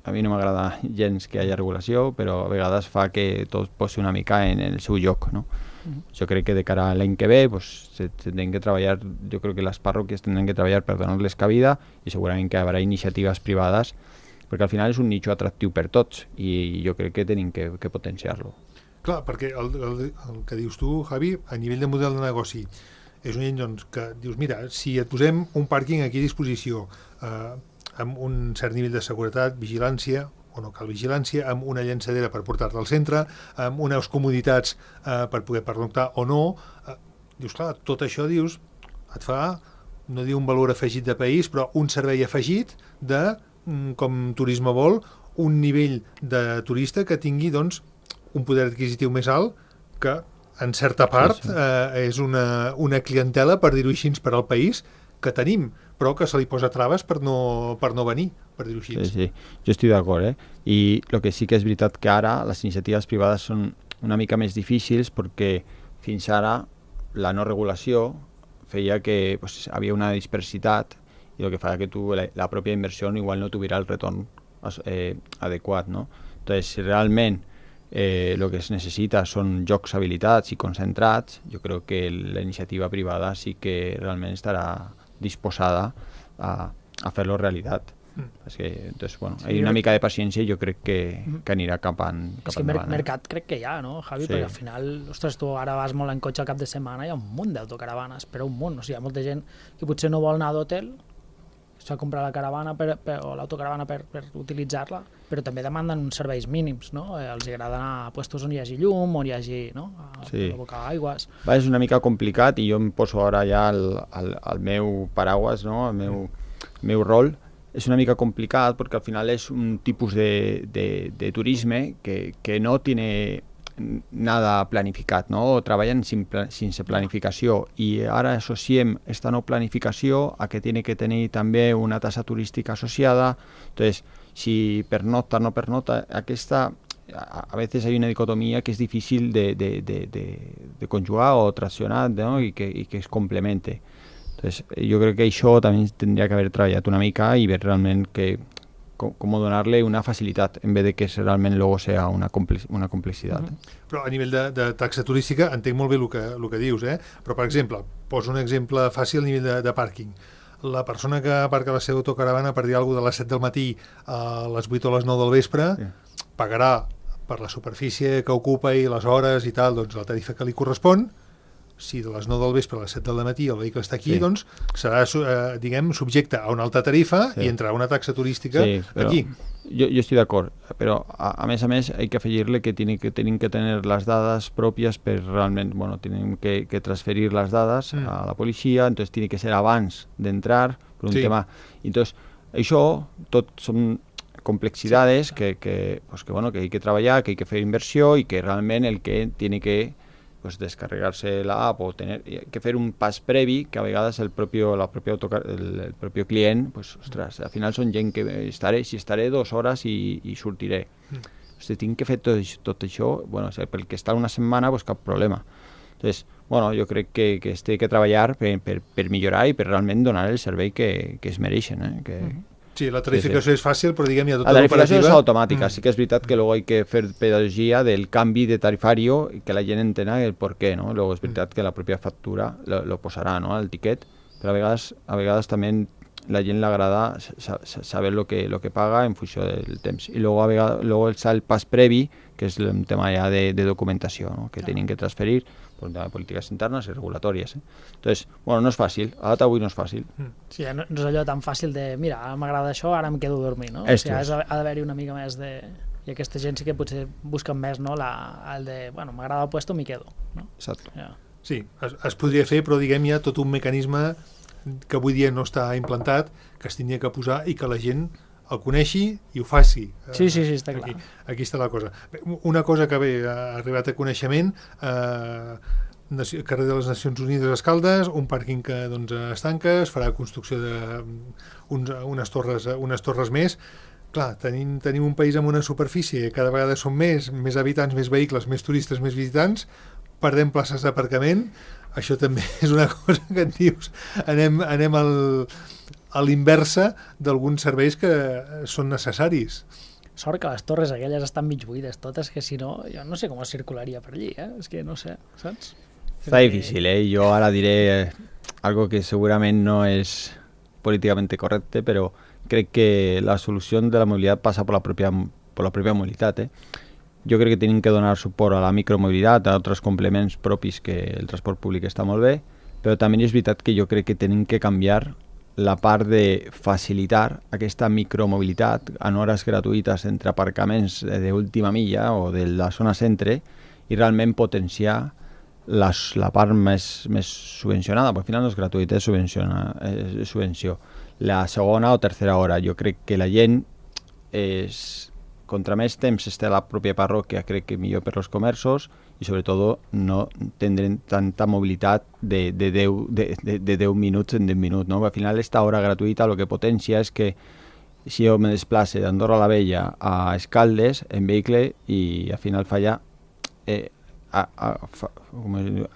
A mi no m'agrada gens que hi hagi regulació, però a vegades fa que tot posi una mica en el seu lloc, no? Mm-hmm. Jo crec que de cara a l'any que ve pues, se tenen que treballar, jo crec que les parròquies tenen que treballar per donar-les cabida i segurament que hi haurà iniciatives privades, perquè al final és un nicho atractiu per tots i jo crec que tenim que, que potenciar-lo. Clar, perquè el, el, el que dius tu, Javi, a nivell de model de negoci, és un gent doncs, que dius, mira, si et posem un pàrquing aquí a disposició, eh, amb un cert nivell de seguretat, vigilància, o no cal vigilància, amb una llançadera per portar-te al centre, amb unes comoditats eh, per poder pernoctar o no, eh, dius, clar, tot això, dius, et fa, no diu un valor afegit de país, però un servei afegit de, com Turisme vol, un nivell de turista que tingui, doncs, un poder adquisitiu més alt que, en certa part, sí, sí. Eh, és una, una clientela, per dir-ho així, per al país, que tenim, però que se li posa traves per no, per no venir, per dir-ho així. Sí, sí, jo estic d'acord, eh? I el que sí que és veritat que ara les iniciatives privades són una mica més difícils perquè fins ara la no regulació feia que pues, havia una dispersitat i el que fa que tu, la, la pròpia inversió igual no tuviera el retorn eh, adequat, no? Entonces, si realment eh, el que es necessita són jocs habilitats i concentrats, jo crec que la iniciativa privada sí que realment estarà disposada a, a fer-lo realitat. Mm. És que, entonces, bueno, sí, hay una mica de paciència i jo crec que, que anirà cap, en, cap és que endavant. Mer mercat crec que hi ha, no, Javi? Sí. Perquè al final, ostres, tu ara vas molt en cotxe al cap de setmana, hi ha un munt d'autocaravanes, però un munt. O sigui, hi ha molta gent que potser no vol anar d'hotel, s'ha comprat la caravana per, per, o l'autocaravana per, per utilitzar-la, però també demanden uns serveis mínims, no? Eh, els agrada anar a puestos on hi hagi llum, on hi hagi, no? A, sí. a bocar aigües. Va, és una mica complicat i jo em poso ara ja el, el, el meu paraguas, no? El meu, meu rol. És una mica complicat perquè al final és un tipus de, de, de turisme que, que no tiene nada planificat, no? Treballen sin, sense planificació i ara associem esta no planificació a que tiene que tenir també una tassa turística associada. Entonces, si pernocta o no pernocta, aquesta, a, a veces hay una dicotomía que es difícil de, de, de, de, de conjugar o traccionar, ¿no? y, que, y que es complemente. Entonces, jo crec que això també tindria que haver treballat una mica i ver realment que com, com donar-li una facilitat en vez de que realment luego sea una, complex, una complexitat. Mm-hmm. Però a nivell de, de taxa turística entenc molt bé el que, el que dius, eh? Però per exemple, poso un exemple fàcil a nivell de, de pàrquing. La persona que aparca la seva autocaravana per dir alguna cosa de les set del matí a les vuit o les nou del vespre sí. pagarà per la superfície que ocupa i les hores i tal, doncs la tarifa que li correspon. si de les nou del vespre a les set del matí el vehicle està aquí, Sí. doncs serà, eh, diguem, subjecte a una alta tarifa Sí. i entrarà una taxa turística Sí, pero aquí. Yo, yo estoy de acuerdo, pero a, a mes a mes hay que afegirle que tienen que, tienen que tener las dadas propias, pero realmente, bueno, tienen que, que transferir las dadas Mm. a la policía, entonces tiene que ser abans d'entrar, per un Sí. tema... Entonces, això tot són complexidades que, que, pues que, bueno, que hay que treballar, que hay que fer inversió i que realment el que tiene que pues descarregarse la app o tener que fer un pas previ que a vegades el propio la propia autocar, el, el propio client pues ostras, al final són gent que estaré si estaré dos hores i, i sortiré mm. si tinc que fer tot, tot això bueno, o sigui, pel que està una setmana pues cap problema. Entonces, bueno, jo crec que, que es té que treballar per, per, per millorar i per realment donar el servei que, que es mereixen eh? que, Mm. Sí, la tarificació sí, sí. és fàcil, però diguem, hi ha tota la tarificació l'operativa... és automàtica, Mm. sí que és veritat que luego hay que fer pedagogia del canvi de tarifario i que la gent entena el per què, no? Luego és veritat que la pròpia factura lo, lo posarà, no?, el tiquet, però a vegades, a vegades també la gent l'agrada saber lo que, lo que paga en funció del temps. I luego, a vegades, luego està el pas previ, que és el tema ja de, de documentació, no?, que tenen que transferir per un tema de polítiques internes i regulatòries. Eh? Entonces, bueno, no és fàcil, a data avui no és fàcil. Sí, no, no és allò tan fàcil de, mira, m'agrada això, ara em quedo a dormir, no? Esto o sigui, es. ha d'haver-hi una mica més de... I aquesta gent sí que potser busquen més, no?, la, el de, bueno, m'agrada el puesto, m'hi quedo, no? Exacte. Ja. Sí, es, es podria fer, però diguem, hi ha tot un mecanisme que avui dia no està implantat, que es tindria que posar i que la gent el coneixi i ho faci. Sí, sí, sí, està aquí, clar. Aquí està la cosa. Bé, una cosa que bé, ha arribat a coneixement, eh, carrer de les Nacions Unides a Escaldes, un pàrquing que doncs, es tanca, es farà construcció d'unes unes torres, unes torres més. Clar, tenim, tenim un país amb una superfície, cada vegada són més, més habitants, més vehicles, més turistes, més visitants, perdem places d'aparcament, això també és una cosa que et dius, anem, anem al, a l'inversa d'alguns serveis que són necessaris. Sort que les torres aquelles estan mig buides totes, que si no, jo no sé com es circularia per allí, eh? És que no sé, saps? Está difícil, ¿eh? Yo ahora diré eh, algo que seguramente no es políticamente correcto, pero creo que la solución de la movilidad pasa por la propia, por la propia movilidad. ¿eh? Jo crec que tenim que donar suport a la micromobilitat, a altres complements propis que el transport públic està molt bé, però també és veritat que jo crec que tenim que canviar la part de facilitar aquesta micromobilitat en hores gratuïtes entre aparcaments d'última milla o de la zona centre i realment potenciar les, la part més, més subvencionada, perquè al final no és gratuït, és, és subvenció. La segona o tercera hora, jo crec que la gent és, contra més temps esté a la pròpia parròquia, crec que millor per als comerços i sobretot no tindrem tanta mobilitat de, de, deu, de, de, de deu minuts en deu minuts. No? Al final, esta hora gratuïta el que potencia és que si jo me desplace d'Andorra la Vella a Escaldes en vehicle i al final falla eh, a, a, fa,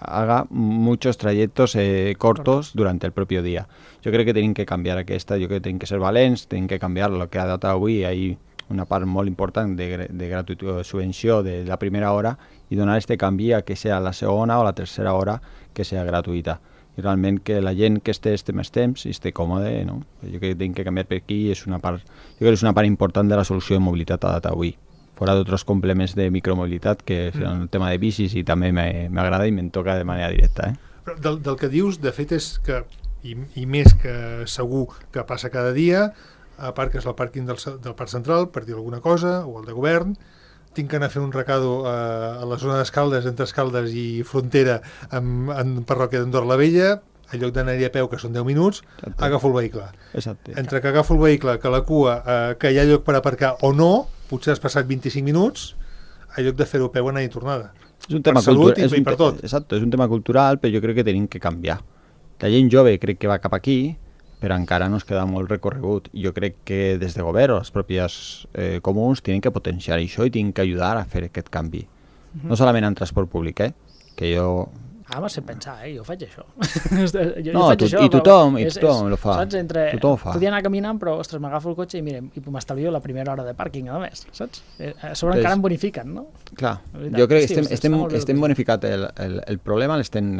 haga muchos trayectos eh, cortos durante el propio día. Jo crec que tenim que canviar aquesta, jo crec que tenim que ser valents, tenim que canviar el que ha dat avui, hi una part molt important de, de gratuïtat, de subvenció de la primera hora i donar este canvi a que sea la segona o la tercera hora que sea gratuïta. I realment que la gent que esté este més temps i esté còmode, no? Jo crec que tenim que canviar per aquí, és una part, jo crec que és una part important de la solució de mobilitat a data avui. Fora d'altres complements de micromobilitat que és el tema de bicis i també m'agrada i me'n toca de manera directa. Eh? Però del, del que dius, de fet, és que, i, i més que segur que passa cada dia, aparques al pàrquing del, del Parc Central per dir alguna cosa, o el de govern, tinc que anar a fer un recado a, a la zona d'Escaldes, entre Escaldes i Frontera, en, en parròquia d'Andorra la Vella, en lloc d'anar-hi a peu, que són deu minuts, Exacte. agafo el vehicle. Exacte. Entre que agafo el vehicle, que la cua, eh, que hi ha lloc per aparcar o no, potser has passat vint-i-cinc minuts, en lloc de fer-ho a peu, anar i tornada. És un tema per salut i, és i un per tot. Exacte, és un tema cultural, però jo crec que tenim que canviar. La gent jove crec que va cap aquí, però encara no es queda molt recorregut. Jo crec que des de govern o els propis eh, comuns tenen que potenciar això i tenen que ajudar a fer aquest canvi. Uh-huh. No solament en transport públic, eh? que jo... Ah, m'ho sé pensar, eh? Jo faig això. jo, no, jo faig tu, això, i tothom, i és, tothom és, ho fa. Saps? Entre, tothom ho fa. Podia anar caminant, però, ostres, m'agafo el cotxe i, mira, i m'estalvio la primera hora de pàrquing, a més, saps? A sobre encara em bonifiquen, no? Clar, veritat, jo crec que hosti, estem, estem, estem, estem bonificat el, el, el problema, l'estem...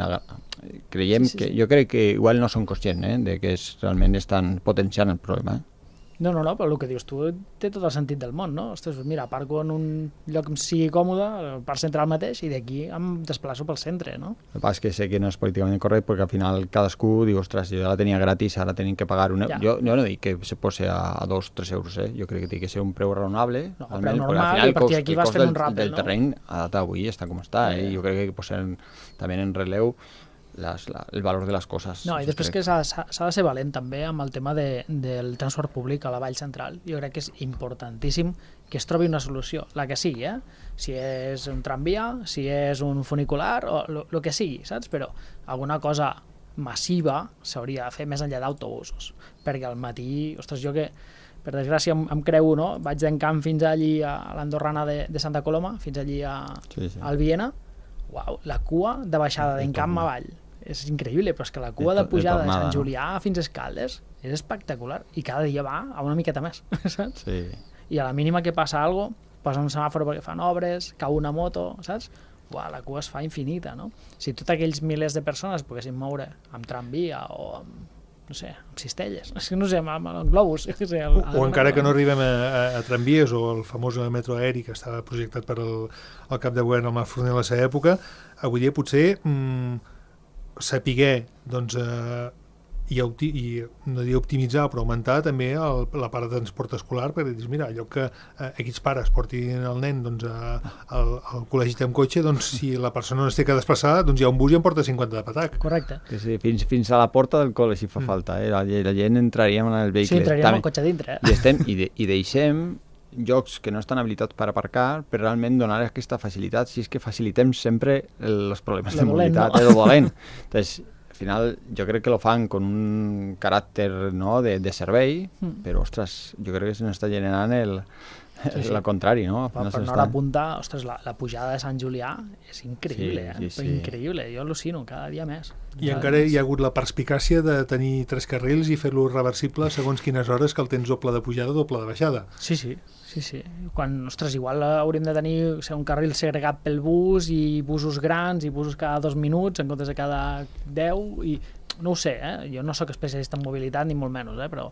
Creiem sí, sí, que... Sí. Jo crec que igual no són conscients, eh, de que és, realment estan potenciant el problema, eh? No, no, no, però el que dius tu té tot el sentit del món, no? Ostres, mira, aparco en un lloc que em sigui còmode, el parc central mateix, i d'aquí em desplaço pel centre, no? El que passa és que sé que no és políticament correcte perquè al final cadascú diu, ostres, jo la tenia gratis, ara tenim que pagar una... Ja. Jo, jo no dic que se posi a, a dos o tres euros, eh? Jo crec que té que ser un preu raonable. No, almenys, preu perquè normal, al final i a partir d'aquí el vas cost fent del, un rappel, del no? terreny a data d'avui està com està, Ja, eh? ja. Jo crec que posem també en relleu les, la, el valor de les coses. No, i Això després crec. que s'ha s'ha de ser valent també amb el tema de, del transport públic a la Vall Central. Jo crec que és importantíssim que es trobi una solució, la que sigui, eh? Si és un tramvia, si és un funicular, o el que sigui, saps? Però alguna cosa massiva s'hauria de fer més enllà d'autobusos, perquè al matí, ostres, jo que per desgràcia em, em creu, no? Vaig d'encamp fins allí a l'Andorrana de, de Santa Coloma, fins allí a, Sí, sí. al Viena. Uau, la cua de baixada De d'encamp tornada. avall. És increïble, però és que la cua De de, to- de pujada de, tornada, Sant no? Julià fins a Escaldes és espectacular i cada dia va a una miqueta més, saps? Sí. I a la mínima que passa alguna cosa, posa un semàfor perquè fan obres, cau una moto, saps? Uau, la cua es fa infinita, no? Si tots aquells milers de persones poguessin moure amb tramvia o amb, no sé, amb cistelles, és que no sé, amb, amb globus, jo què sé, el, O encara que no arribem a, a, a tramvies o el famós metro aeri que estava projectat per el, el cap de govern, el Marc Forner, a la seva època, avui dia potser mm, sapiguer doncs, eh, i, opti i no dir optimitzar, però augmentar també el, la part de transport escolar, perquè dius, mira, allò que eh, aquests pares portin el nen doncs, a, al, al col·legi amb cotxe, doncs si la persona no es té que desplaçar, doncs hi ha un bus i en porta cinquanta de patac. Correcte. Que sí, fins, fins a la porta del col·le si fa Mm. falta, eh? La, la gent entraríem en el vehicle. Sí, entraríem També- al cotxe dintre, I, eh? estem, i, de, i deixem llocs que no estan habilitats per aparcar per realment donar aquesta facilitat, si és que facilitem sempre els problemes Lo de dolent, mobilitat, no? eh, lo dolent. Entonces, al final jo crec que lo fan con un caràcter, no, de, de servei, Mm. però ostres, jo crec que se n'està generant el, Sí, sí. el contrari, no? Al Per, final per se no n'està- apuntar, ostres, la, la pujada de Sant Julià és increïble, Sí, eh? sí, sí. Increïble, jo al·lucino cada dia més. I Cada encara dia hi ha hagut la perspicàcia de tenir tres carrils i fer-lo reversible segons quines hores que el tens doble de pujada o doble de baixada. Sí, sí, sí, sí. Quan, ostres, igual hauríem de tenir o sigui, un carril segregat pel bus i busos grans i busos cada dos minuts en comptes de cada deu i no ho sé, eh? Jo no sóc especialista en mobilitat ni molt menys, eh? Però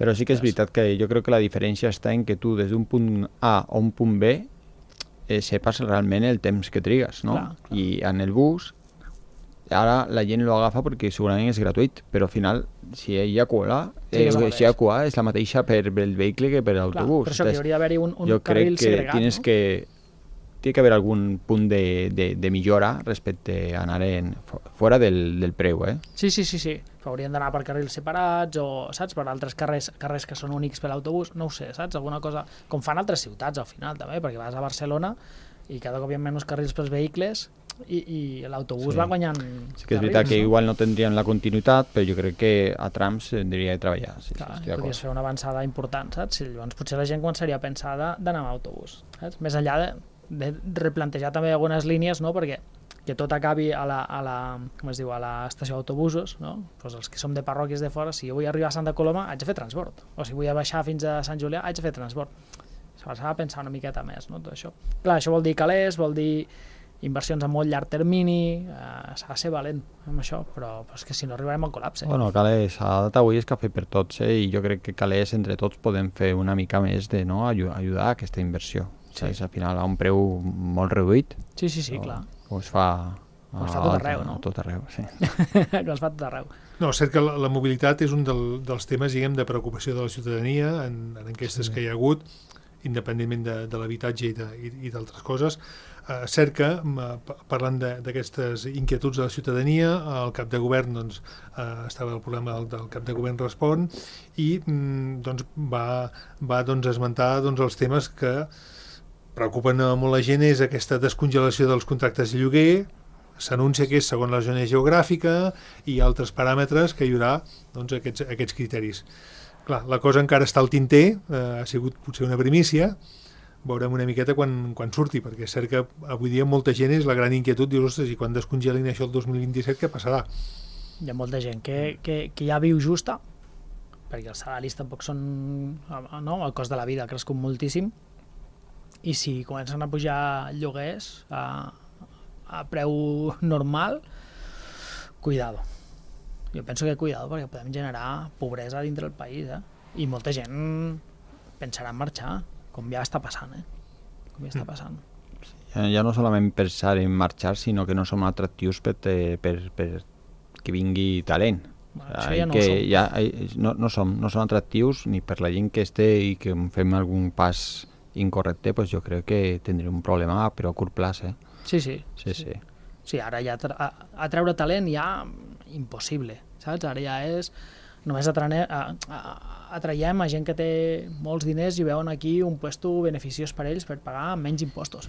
Però sí que és veritat que jo crec que la diferència està en que tu des d'un punt A a un punt B eh, sepas realment el temps que trigues, no? Clar, clar. I en el bus ara la gent lo agafa perquè segurament és gratuït, però al final si hi ha cua, eh, Trigues el si hi ha mateix. cua és la mateixa per el vehicle que per clar, l'autobús. per això que hi hauria d'haver-hi un, un jo carril crec que segregat, tienes no? que tiene que haver algun punt de, de, de millora respecte a anar en, fora del, del preu, eh? Sí, sí, sí, sí. Haurien d'anar per carrils separats o, saps, per altres carrers, carrers que són únics per l'autobús, no ho sé, saps? Alguna cosa, com fan altres ciutats al final també, perquè vas a Barcelona i cada cop hi ha menys carrils pels vehicles i, i l'autobús Sí. va guanyant Sí que és veritat que no? igual no tindrien la continuïtat, però jo crec que a trams s'hauria de treballar. Sí, Clar, sí, estic podries d'acord. fer una avançada important, saps? I llavors potser la gent començaria a pensar de- d'anar amb autobús, saps? Més enllà de, de replantejar també algunes línies, no? Perquè que tot acabi a la, a la, com es diu, a l'estació d'autobusos, no? Pues els que som de parròquies de fora, si jo vull arribar a Santa Coloma, haig de fer transport. O si vull a baixar fins a Sant Julià, haig de fer transport. S'ha de pensar una miqueta més, no? Tot això. Clar, això vol dir calés, vol dir inversions a molt llarg termini, eh, s'ha de ser valent amb això, però, però és que si no arribarem al col·lapse. Bueno, Calés, a data avui és cafè per tots, eh? I jo crec que Calés, entre tots, podem fer una mica més de no, ajudar, ajudar a aquesta inversió. Sí. Sí. Al final, a un preu molt reduït. Sí, sí, sí, o, clar. O es fa... O es fa tot arreu, no? Tot arreu, sí. Que es fa tot arreu. No, és cert que la, la mobilitat és un del, dels temes, diguem, de preocupació de la ciutadania en, en enquestes Sí. que hi ha hagut, independentment de, de l'habitatge i de- i, i d'altres coses. Eh, cert que, m- pa- parlant de- d'aquestes inquietuds de la ciutadania, el cap de govern doncs, eh, estava el programa del, del cap de govern Respon i mm, doncs, va, va doncs, esmentar doncs, els temes que preocupen a molt la gent, és aquesta descongelació dels contractes de lloguer. S'anuncia que és segons la zona geogràfica i altres paràmetres que hi haurà doncs, aquests, aquests criteris. Clar, la cosa encara està al tinter, eh, ha sigut potser una primícia, veurem una miqueta quan, quan surti, perquè és cert que avui dia molta gent és la gran inquietud, dius, ostres, i quan descongelin això el dos mil vint-i-set, què passarà? Hi ha molta gent que, que, que ja viu justa, perquè els salaris tampoc són... No? El cost de la vida ha crescut moltíssim, i si comencen a pujar lloguers a, a preu normal, cuidado. Jo penso que cuidado, perquè podem generar pobresa dintre del país, eh? i molta gent pensarà en marxar, com ja està passant, eh? Com ja està passant. Ja, ja no solament pensar en marxar, sinó que no som atractius per, per, per que vingui talent. Bueno, això ja no que ho som. Ja, no, no, som, no som atractius ni per la gent que esté i que fem algun pas incorrecte, pues jo crec que tindrem un problema però a curt plaç, eh? Sí, sí. Sí, sí. Sí, ara ja a, a treure talent ja impossible, saps? Ara ja és... Només atrane, a, a, atraiem a gent que té molts diners i veuen aquí un puesto beneficiós per ells per pagar menys impostos.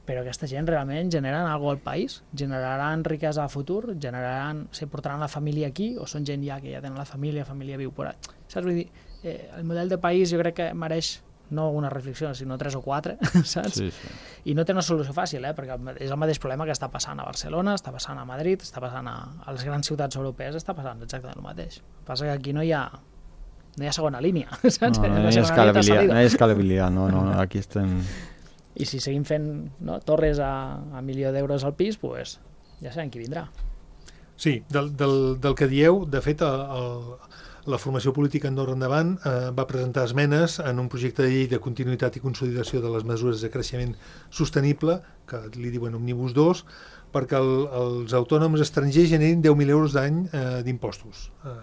Però aquesta gent realment generen alguna cosa al país, generaran riquesa a futur, generaran, se portaran la família aquí o són gent ja que ja tenen la família, la família viu por ahí. Saps? Vull dir, eh, el model de país jo crec que mereix no una reflexió, sinó tres o quatre, saps? Sí, sí. I no té una solució fàcil, eh? Perquè és el mateix problema que està passant a Barcelona, està passant a Madrid, està passant a, a les grans ciutats europees, està passant exactament el mateix. El que passa que aquí no hi ha, no hi ha segona línia, saps? No, no, no hi ha escalabilitat, no hi ha escalabilitat, no, no, aquí estem... I si seguim fent, no, torres a, a milió d'euros al pis, pues, ja sabem qui vindrà. Sí, del, del, del que dieu, de fet, el, el, la formació política Andorra Endavant eh, va presentar esmenes en un projecte de llei de continuïtat i consolidació de les mesures de creixement sostenible, que li diuen Omnibus dos, perquè el, els autònoms estrangers generin deu mil euros d'any eh, d'impostos. Eh,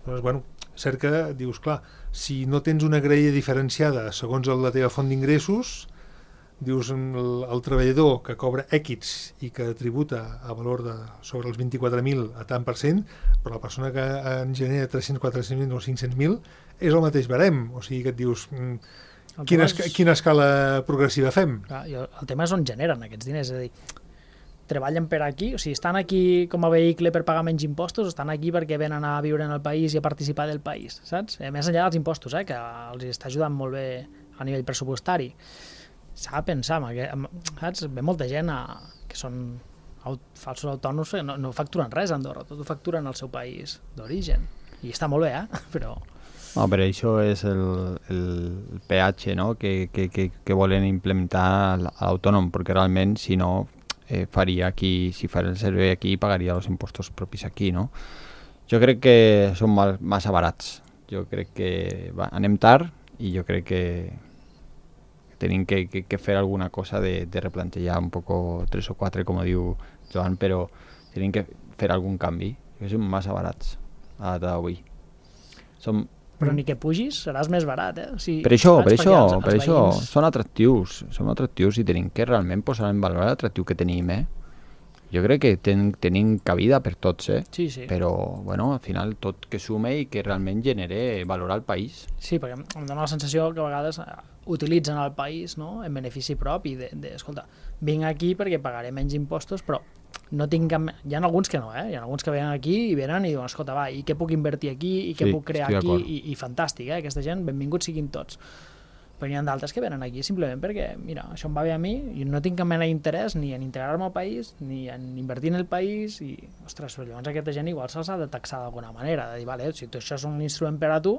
doncs, bueno, cert que dius, clar, si no tens una graella diferenciada segons la teva font d'ingressos, dius el, el treballador que cobra èquits i que tributa a valor de sobre els vint-i-quatre mil a tant per cent, però la persona que en genera tres-cents, quatre-cents mil o cinc-cents mil és el mateix barem, o sigui que et dius mm, quina, és... quina escala progressiva fem? Clar, el tema és on generen aquests diners, és a dir, treballen per aquí, o sigui, estan aquí com a vehicle per pagar menys impostos o estan aquí perquè venen a viure en el país i a participar del país, saps? Eh, més enllà dels impostos, eh, que els està ajudant molt bé a nivell pressupostari. S'ha de pensar, saps? Ve molta gent a, que són aut, falsos autònoms, no, no facturen res a Andorra, tot ho facturen al seu país d'origen. I està molt bé, eh? Però... No, però això és el, el peatge, no? que, que, que, que volen implementar l'autònom, perquè realment, si no, eh, faria aquí, si faria el servei aquí, pagaria els impostos propis aquí, no? Jo crec que són mal, massa barats. Jo crec que va, anem tard i jo crec que tenim que, que, que fer alguna cosa de, de replantejar un poco tres o quatre, com diu Joan, però tenim que fer algun canvi, que són massa barats a data d'avui. Som... Però ni que pugis seràs més barat, eh? O sigui, per això, per això, els, els per això veïns... són atractius, som atractius i tenim que realment posar en valor l'atractiu que tenim, eh? Jo crec que ten, tenim cabida per tots, eh? Sí, sí. Però, bueno, al final tot que sume i que realment genere valor al país. Sí, perquè em dóna la sensació que a vegades utilitzen el país, no?, en benefici propi, de, de, escolta, vinc aquí perquè pagaré menys impostos, però no tinc cap... Hi ha alguns que no, eh? Hi ha alguns que venen aquí i venen i diuen, escolta, va, i què puc invertir aquí, i què sí, puc crear aquí, i, i fantàstic, eh? Aquesta gent, benvinguts siguin tots. Però hi ha d'altres que venen aquí simplement perquè, mira, això em va bé a mi i no tinc cap mena d'interès ni en integrar-me al país, ni en invertir en el país i, ostres, però llavors aquesta gent igual se'ls ha de taxar d'alguna manera, de dir, vale, si tu, això és un instrument per a tu,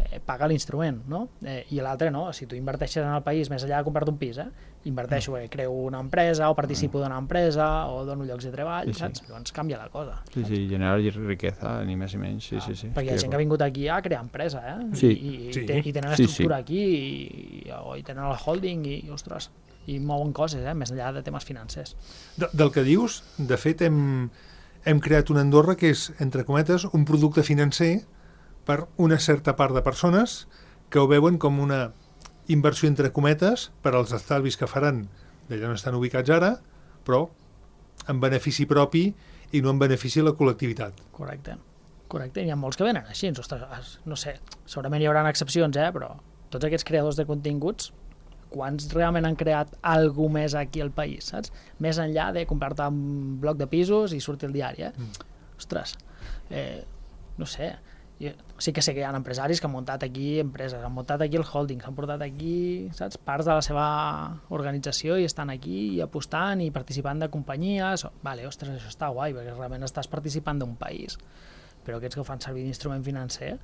eh, paga l'instrument, no? Eh, I l'altre no, si tu inverteixes en el país, més enllà de comprar-te un pis, eh? Inverteixo, mm. eh, creo una empresa o participo mm. d'una empresa o dono llocs de treball, sí, saps? Sí. Llavors canvia la cosa. Sí, saps? Sí, generar riquesa, ni més ni menys, sí, ah, sí, sí. Perquè hi ha gent que ha vingut aquí a crear empresa, eh? Sí. I, i, sí. Ten, i tenen sí, estructura sí. aquí i, i, i tenen el holding i, ostres, i mouen coses, eh? Més enllà de temes financers. De, del que dius, de fet, hem, hem creat una Andorra que és, entre cometes, un producte financer per una certa part de persones que ho veuen com una inversió entre cometes per als estalvis que faran d'allà on estan ubicats ara, però en benefici propi i no en benefici de la col·lectivitat. Correcte. Correcte. Hi ha molts que venen així. Ostres, no sé, segurament hi haurà excepcions, eh? Però tots aquests creadors de continguts, quants realment han creat alguna més aquí al país, saps? Més enllà de comprar-te un bloc de pisos i sortir al diari, eh? Mm. Ostres, eh, no sé... Jo, sí que sé que hi ha empresaris que han muntat aquí empreses, han muntat aquí el holding, s'han portat aquí, saps, parts de la seva organització i estan aquí i apostant i participant de companyies. Vale, ostres, això està guai, perquè realment estàs participant d'un país. Però aquests que ho fan servir d'instrument financer,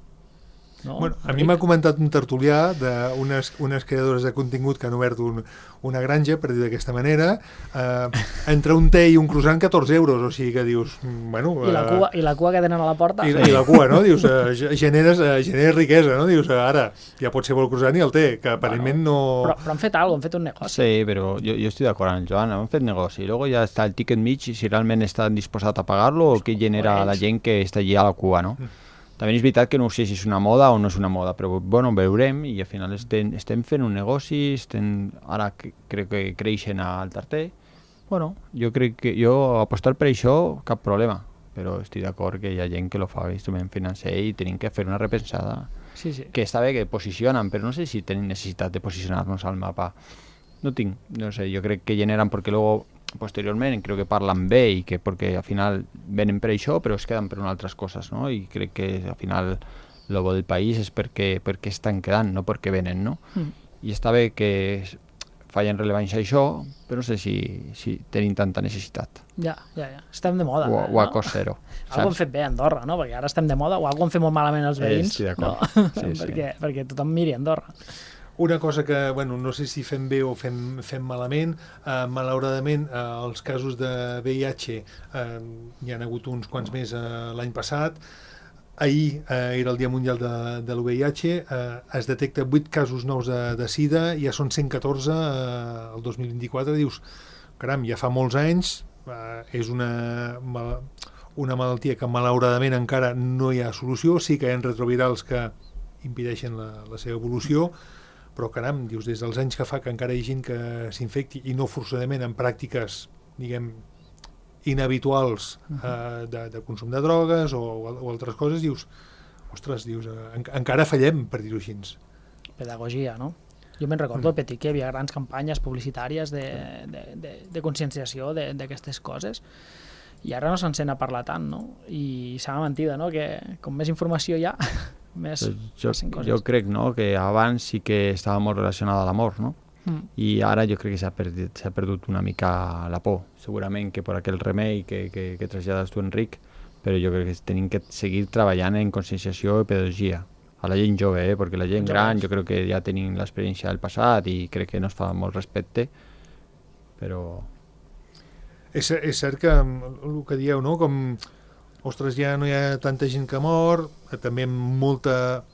no? Bueno, a mi m'ha comentat un tertulià d'unes unes creadores de contingut que han obert un, una granja, per dir d'aquesta manera, eh, entre un té i un croissant catorze euros, o sigui que dius... Bueno, I, la cua, I la cua que tenen a la porta. I, i la cua, no? Dius, eh, generes, eh, generes riquesa, no? Dius, eh, ara ja pot ser el croissant i el té, que aparentment bueno, no... Però, però han fet alguna cosa, han fet un negoci. Sí, pero yo, yo estoy de acuerdo con el Joan, han fet negoci. Luego ya está el ticket mig, si realment estan disposats a pagar-lo o què genera la gent que està allí a la cua, no? Mm. També és veritat que no sé si és una moda o no és una moda, però bueno, veurem i al final estem, estem fent un negoci, estem, ara que, crec que creixen al Tarter. Bueno, jo crec que jo apostar per això cap problema, però estic d'acord que hi ha gent que lo fa instrument financer i tenim que fer una repensada. Sí, sí. Que està bé que posicionen, però no sé si tenim necessitat de posicionar-nos al mapa. No tinc, no sé, jo crec que generen perquè luego posteriorment crec que parlen bé i que perquè al final venen per això però es queden per unes altres coses, no? I crec que al final el bo del país és perquè, perquè estan quedant, no perquè venen, no? Mm. I està bé que fallen rellevància a això, però no sé si, si tenim tanta necessitat. Ja, ja, ja. Estem de moda. O, eh, o a no? cost zero. Algo hem fet bé a Andorra, no? Perquè ara estem de moda, o algo han fet molt malament els veïns. Estic d'acord. No? Sí, sí. perquè, perquè tothom miri Andorra. Una cosa que, bueno, no sé si fem bé o fem, fem malament, eh, malauradament eh, els casos de V I H eh, hi ha hagut uns quants més eh, l'any passat. Ahir eh, era el Dia Mundial de, de l'U V I H, eh, es detecta vuit casos nous de, de SIDA, ja són cent catorze eh, el dos mil vint-i-quatre, dius, caram, ja fa molts anys, eh, és una, una malaltia que malauradament encara no hi ha solució, sí que hi ha retrovirals que impedeixen la, la seva evolució, però caram, dius, des dels anys que fa que encara hi ha gent que s'infecti i no forçadament en pràctiques, diguem, inhabituals eh, de, de consum de drogues o, o altres coses, dius, ostres, dius, eh, en, encara fallem, per dir-ho així. Pedagogia, no? Jo me'n recordo, mm. Petit, que hi havia grans campanyes publicitàries de, de, de, de conscienciació d'aquestes coses i ara no se'n sent a parlar tant, no? I sembla mentida, no? Que com més informació hi ha, més jo, jo crec, no?, que abans sí que estava molt relacionada a l'amor, no? Mm. I ara jo crec que s'ha perdut, s'ha perdut una mica la por, segurament que per aquell remei que, que, que trasllades tu, Enric, però jo crec que tenim que seguir treballant en conscienciació i pedagogia a la gent jove, eh? Perquè la gent gran jo crec que ja tenim l'experiència del passat i crec que no es fa molt respecte, però... És, és cert que el que dieu, no?, com... Ostres, ja no hi ha tanta gent que mor, també molta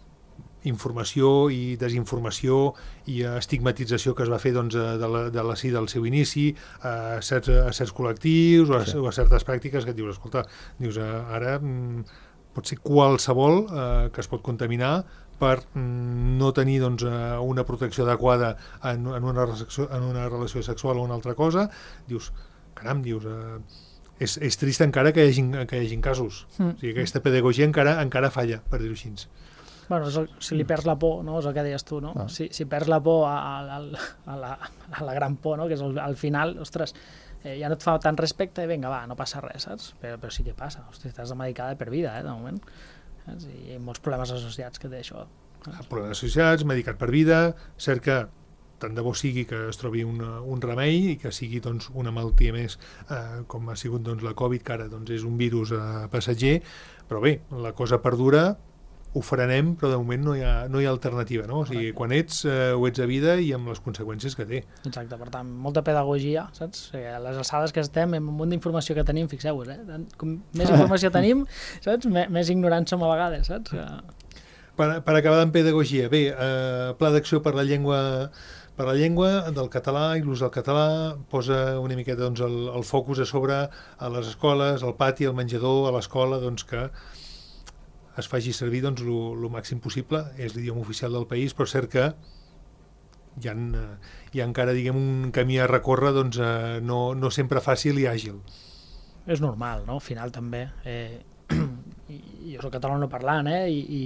informació i desinformació i estigmatització que es va fer doncs, de, la, de la SIDA al seu inici, a certs, a certs col·lectius o a, sí. o a certes pràctiques que et dius, escolta, dius, ara mm, pot ser qualsevol eh, que es pot contaminar per mm, no tenir doncs, una protecció adequada en, en, una, en una relació sexual o una altra cosa, dius, caram, dius... Eh, És, és trist encara que hi hagi, que hi hagi casos. Mm. O sigui, aquesta pedagogia encara encara falla, per dir-ho així. Bueno, el, si li perds la por, no? És el que deies tu, no? Ah. Si, si perds la por a, a, a, la, a la gran por, no? Que és el, al final, ostres, eh, ja no et fa tant respecte i vinga, va, no passa res, saps? Però, però sí que passa, ostres, estàs medicada per vida, eh, de moment. Saps? I hi ha molts problemes associats que té això. Saps? Problemes associats, medicat per vida, cert que tant de bo sigui que es trobi una, un remei i que sigui doncs, una malaltia més eh, com ha sigut doncs, la Covid, que ara doncs, és un virus eh, passatger, però bé, la cosa perdura, ho frenem, però de moment no hi ha, no hi ha alternativa, no? O sigui, quan ets, eh, ho ets a vida i amb les conseqüències que té. Exacte, per tant, molta pedagogia, saps? O sigui, a les alçades que estem, amb un munt d'informació que tenim, fixeu-vos, eh? Com més informació tenim, saps? M més ignorants som a vegades, saps? Per, per acabar amb pedagogia, bé, eh, pla d'acció per la llengua per la llengua del català i l'ús del català, posa una miqueta doncs, el, el focus a sobre a les escoles, al pati, al menjador, a l'escola, doncs que es faci servir doncs, el màxim possible, és l'idioma oficial del país, però cert que hi ha, hi ha encara diguem, un camí a recórrer doncs, eh, no, no sempre fàcil i àgil. És normal, no? Al final també. Eh, jo soc catalanoparlant eh? I, i,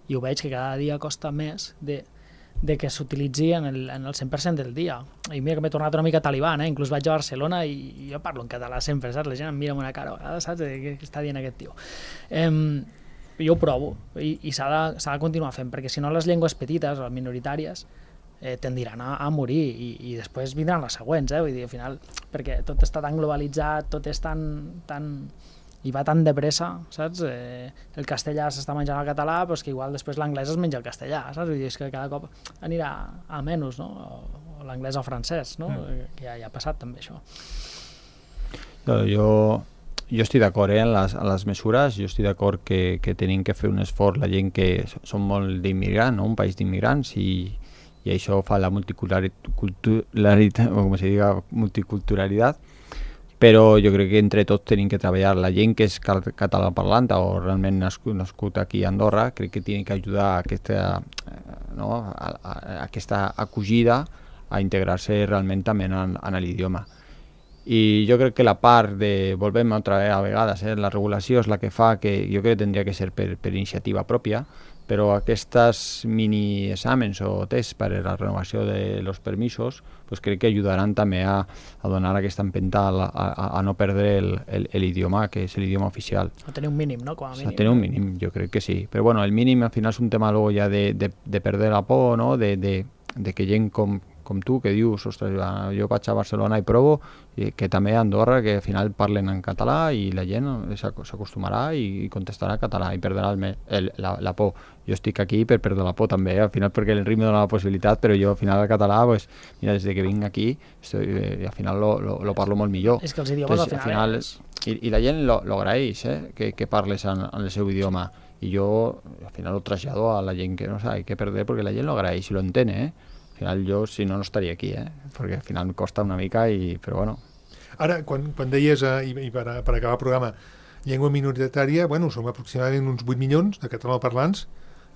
i ho veig que cada dia costa més de de que s'utilitzi en, el, en el cent per cent del dia. I mira que m'he tornat una mica talibán, eh? Inclús vaig a Barcelona i, i jo parlo en català sempre, saps? La gent em mira amb una cara a vegades, saps? Què està dient aquest tio? Eh, jo ho provo i, i s'ha de, s'ha de continuar fent, perquè si no les llengües petites o minoritàries eh, tendiran a, a morir i, i després vindran les següents, eh? Vull dir, al final, perquè tot està tan globalitzat, tot és tan, tan i va tan de pressa, saps? Eh, el castellà s'està menjant el català, però és que igual després l'anglès es menja el castellà, saps? Vull dir, és que cada cop anirà a menys, no? O, o l'anglès o el francès, no? Mm. Que ja, ja ha passat també això. Jo, jo, jo estic d'acord eh, en, les, en les mesures, jo estic d'acord que, que tenim que fer un esforç la gent que som molt d'immigrants, no? Un país d'immigrants, i, i això fa la multiculturalitat, o com se diga, multiculturalitat, però jo crec que entre tots tenim que treballar. La gent que és català parlant o realment nascut, nascut aquí a Andorra, crec que tiene que ajudar a aquesta, no? a, a, a aquesta acogida a integrar-se realment també en, en l'idioma. I jo crec que la part de, volvem otra vez a vegades, eh, la regulació és la que fa que jo crec que tindria que ser per, per iniciativa pròpia, però aquests mini exàmens o tests per a la renovació de los permisos pues crec que ajudaran també a, a donar aquesta empenta a, a, a no perdre l'idioma, que és l'idioma oficial. A tenir un mínim, no? Com a mínim. A tenir un mínim, jo crec que sí. Però bueno, el mínim al final és un tema luego ja de, de, de perder la por, no? De, de, de que gent com com tu, que dius, ostres, jo vaig a Barcelona i provo, i que també a Andorra, que al final parlen en català i la gent s'acostumarà i contestarà en català i perdrà el, el, la, la por. Jo estic aquí per perdre la por també, al final perquè el ritme dona la possibilitat, però jo al final el català, pues, mira, des que vinc aquí, estoy, eh, al final lo, lo, lo parlo molt millor. És que els idiomes Entonces, al final... Al final és... I, I la gent lo, lo agraeix, eh, que, que parles en, en el seu idioma. I jo al final lo trasllado a la gent que no sabe què perder, perquè la gent lo agraeix i lo entén, eh? Al final jo, si no, no estaria aquí, eh? Perquè al final em costa una mica, i, però bueno. Ara, quan, quan deies, eh, i, i per, per acabar el programa, llengua minoritària, bueno, som aproximadament uns vuit milions de catalanoparlants,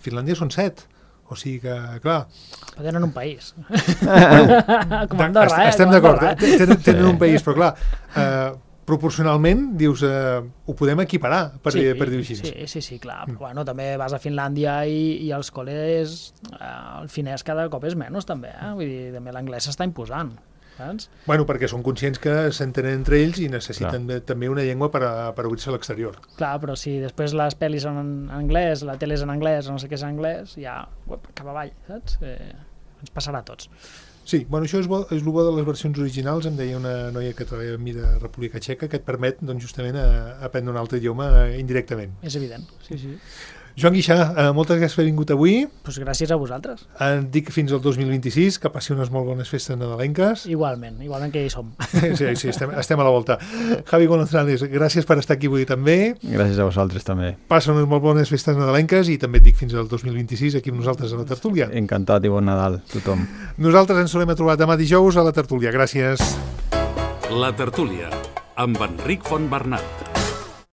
Finlàndia són set, o sigui que, clar... Però tenen un país. Bueno, com Andorra, eh? Estem d'acord, tenen, tenen un país, però clar... Eh, proporcionalment, dius, eh, ho podem equiparar, per, sí, per dir-ho així. Sí, sí, sí, clar. Mm. Però, bueno, també vas a Finlàndia i, i als col·les eh, el finès cada cop és menys, també. Eh? Vull dir, també l'anglès s'està imposant. Saps? Bueno, perquè són conscients que s'entenen entre ells i necessiten de, també una llengua per, a, per obrir-se a l'exterior. Clar, però si després les pel·lis són en anglès, la tele és en anglès, no sé què és en anglès, ja uep, cap avall, saps? Eh, ens passarà a tots. Sí, bueno, això és, bo, és el bo de les versions originals. Em deia una noia que treballa amb mi de República Txeca, que et permet doncs, justament a, a aprendre un altre idioma eh, indirectament. És evident, sí, sí. Joan Guixà, eh, moltes gràcies per haver vingut avui. Pues gràcies a vosaltres. Et dic fins al dos mil vint-i-sis, que passi unes molt bones festes nadalenques. Igualment, igualment que hi som. Sí, sí, estem, estem a la volta. Javi González, gràcies per estar aquí avui també. Gràcies a vosaltres també. Passa unes molt bones festes nadalenques i també et dic fins al dos mil vint-i-sis aquí amb nosaltres a la tertúlia. Encantat i bon Nadal, tothom. Nosaltres ens solem a trobar demà dijous a la tertúlia. Gràcies. La tertúlia, amb Enric Fontbernat.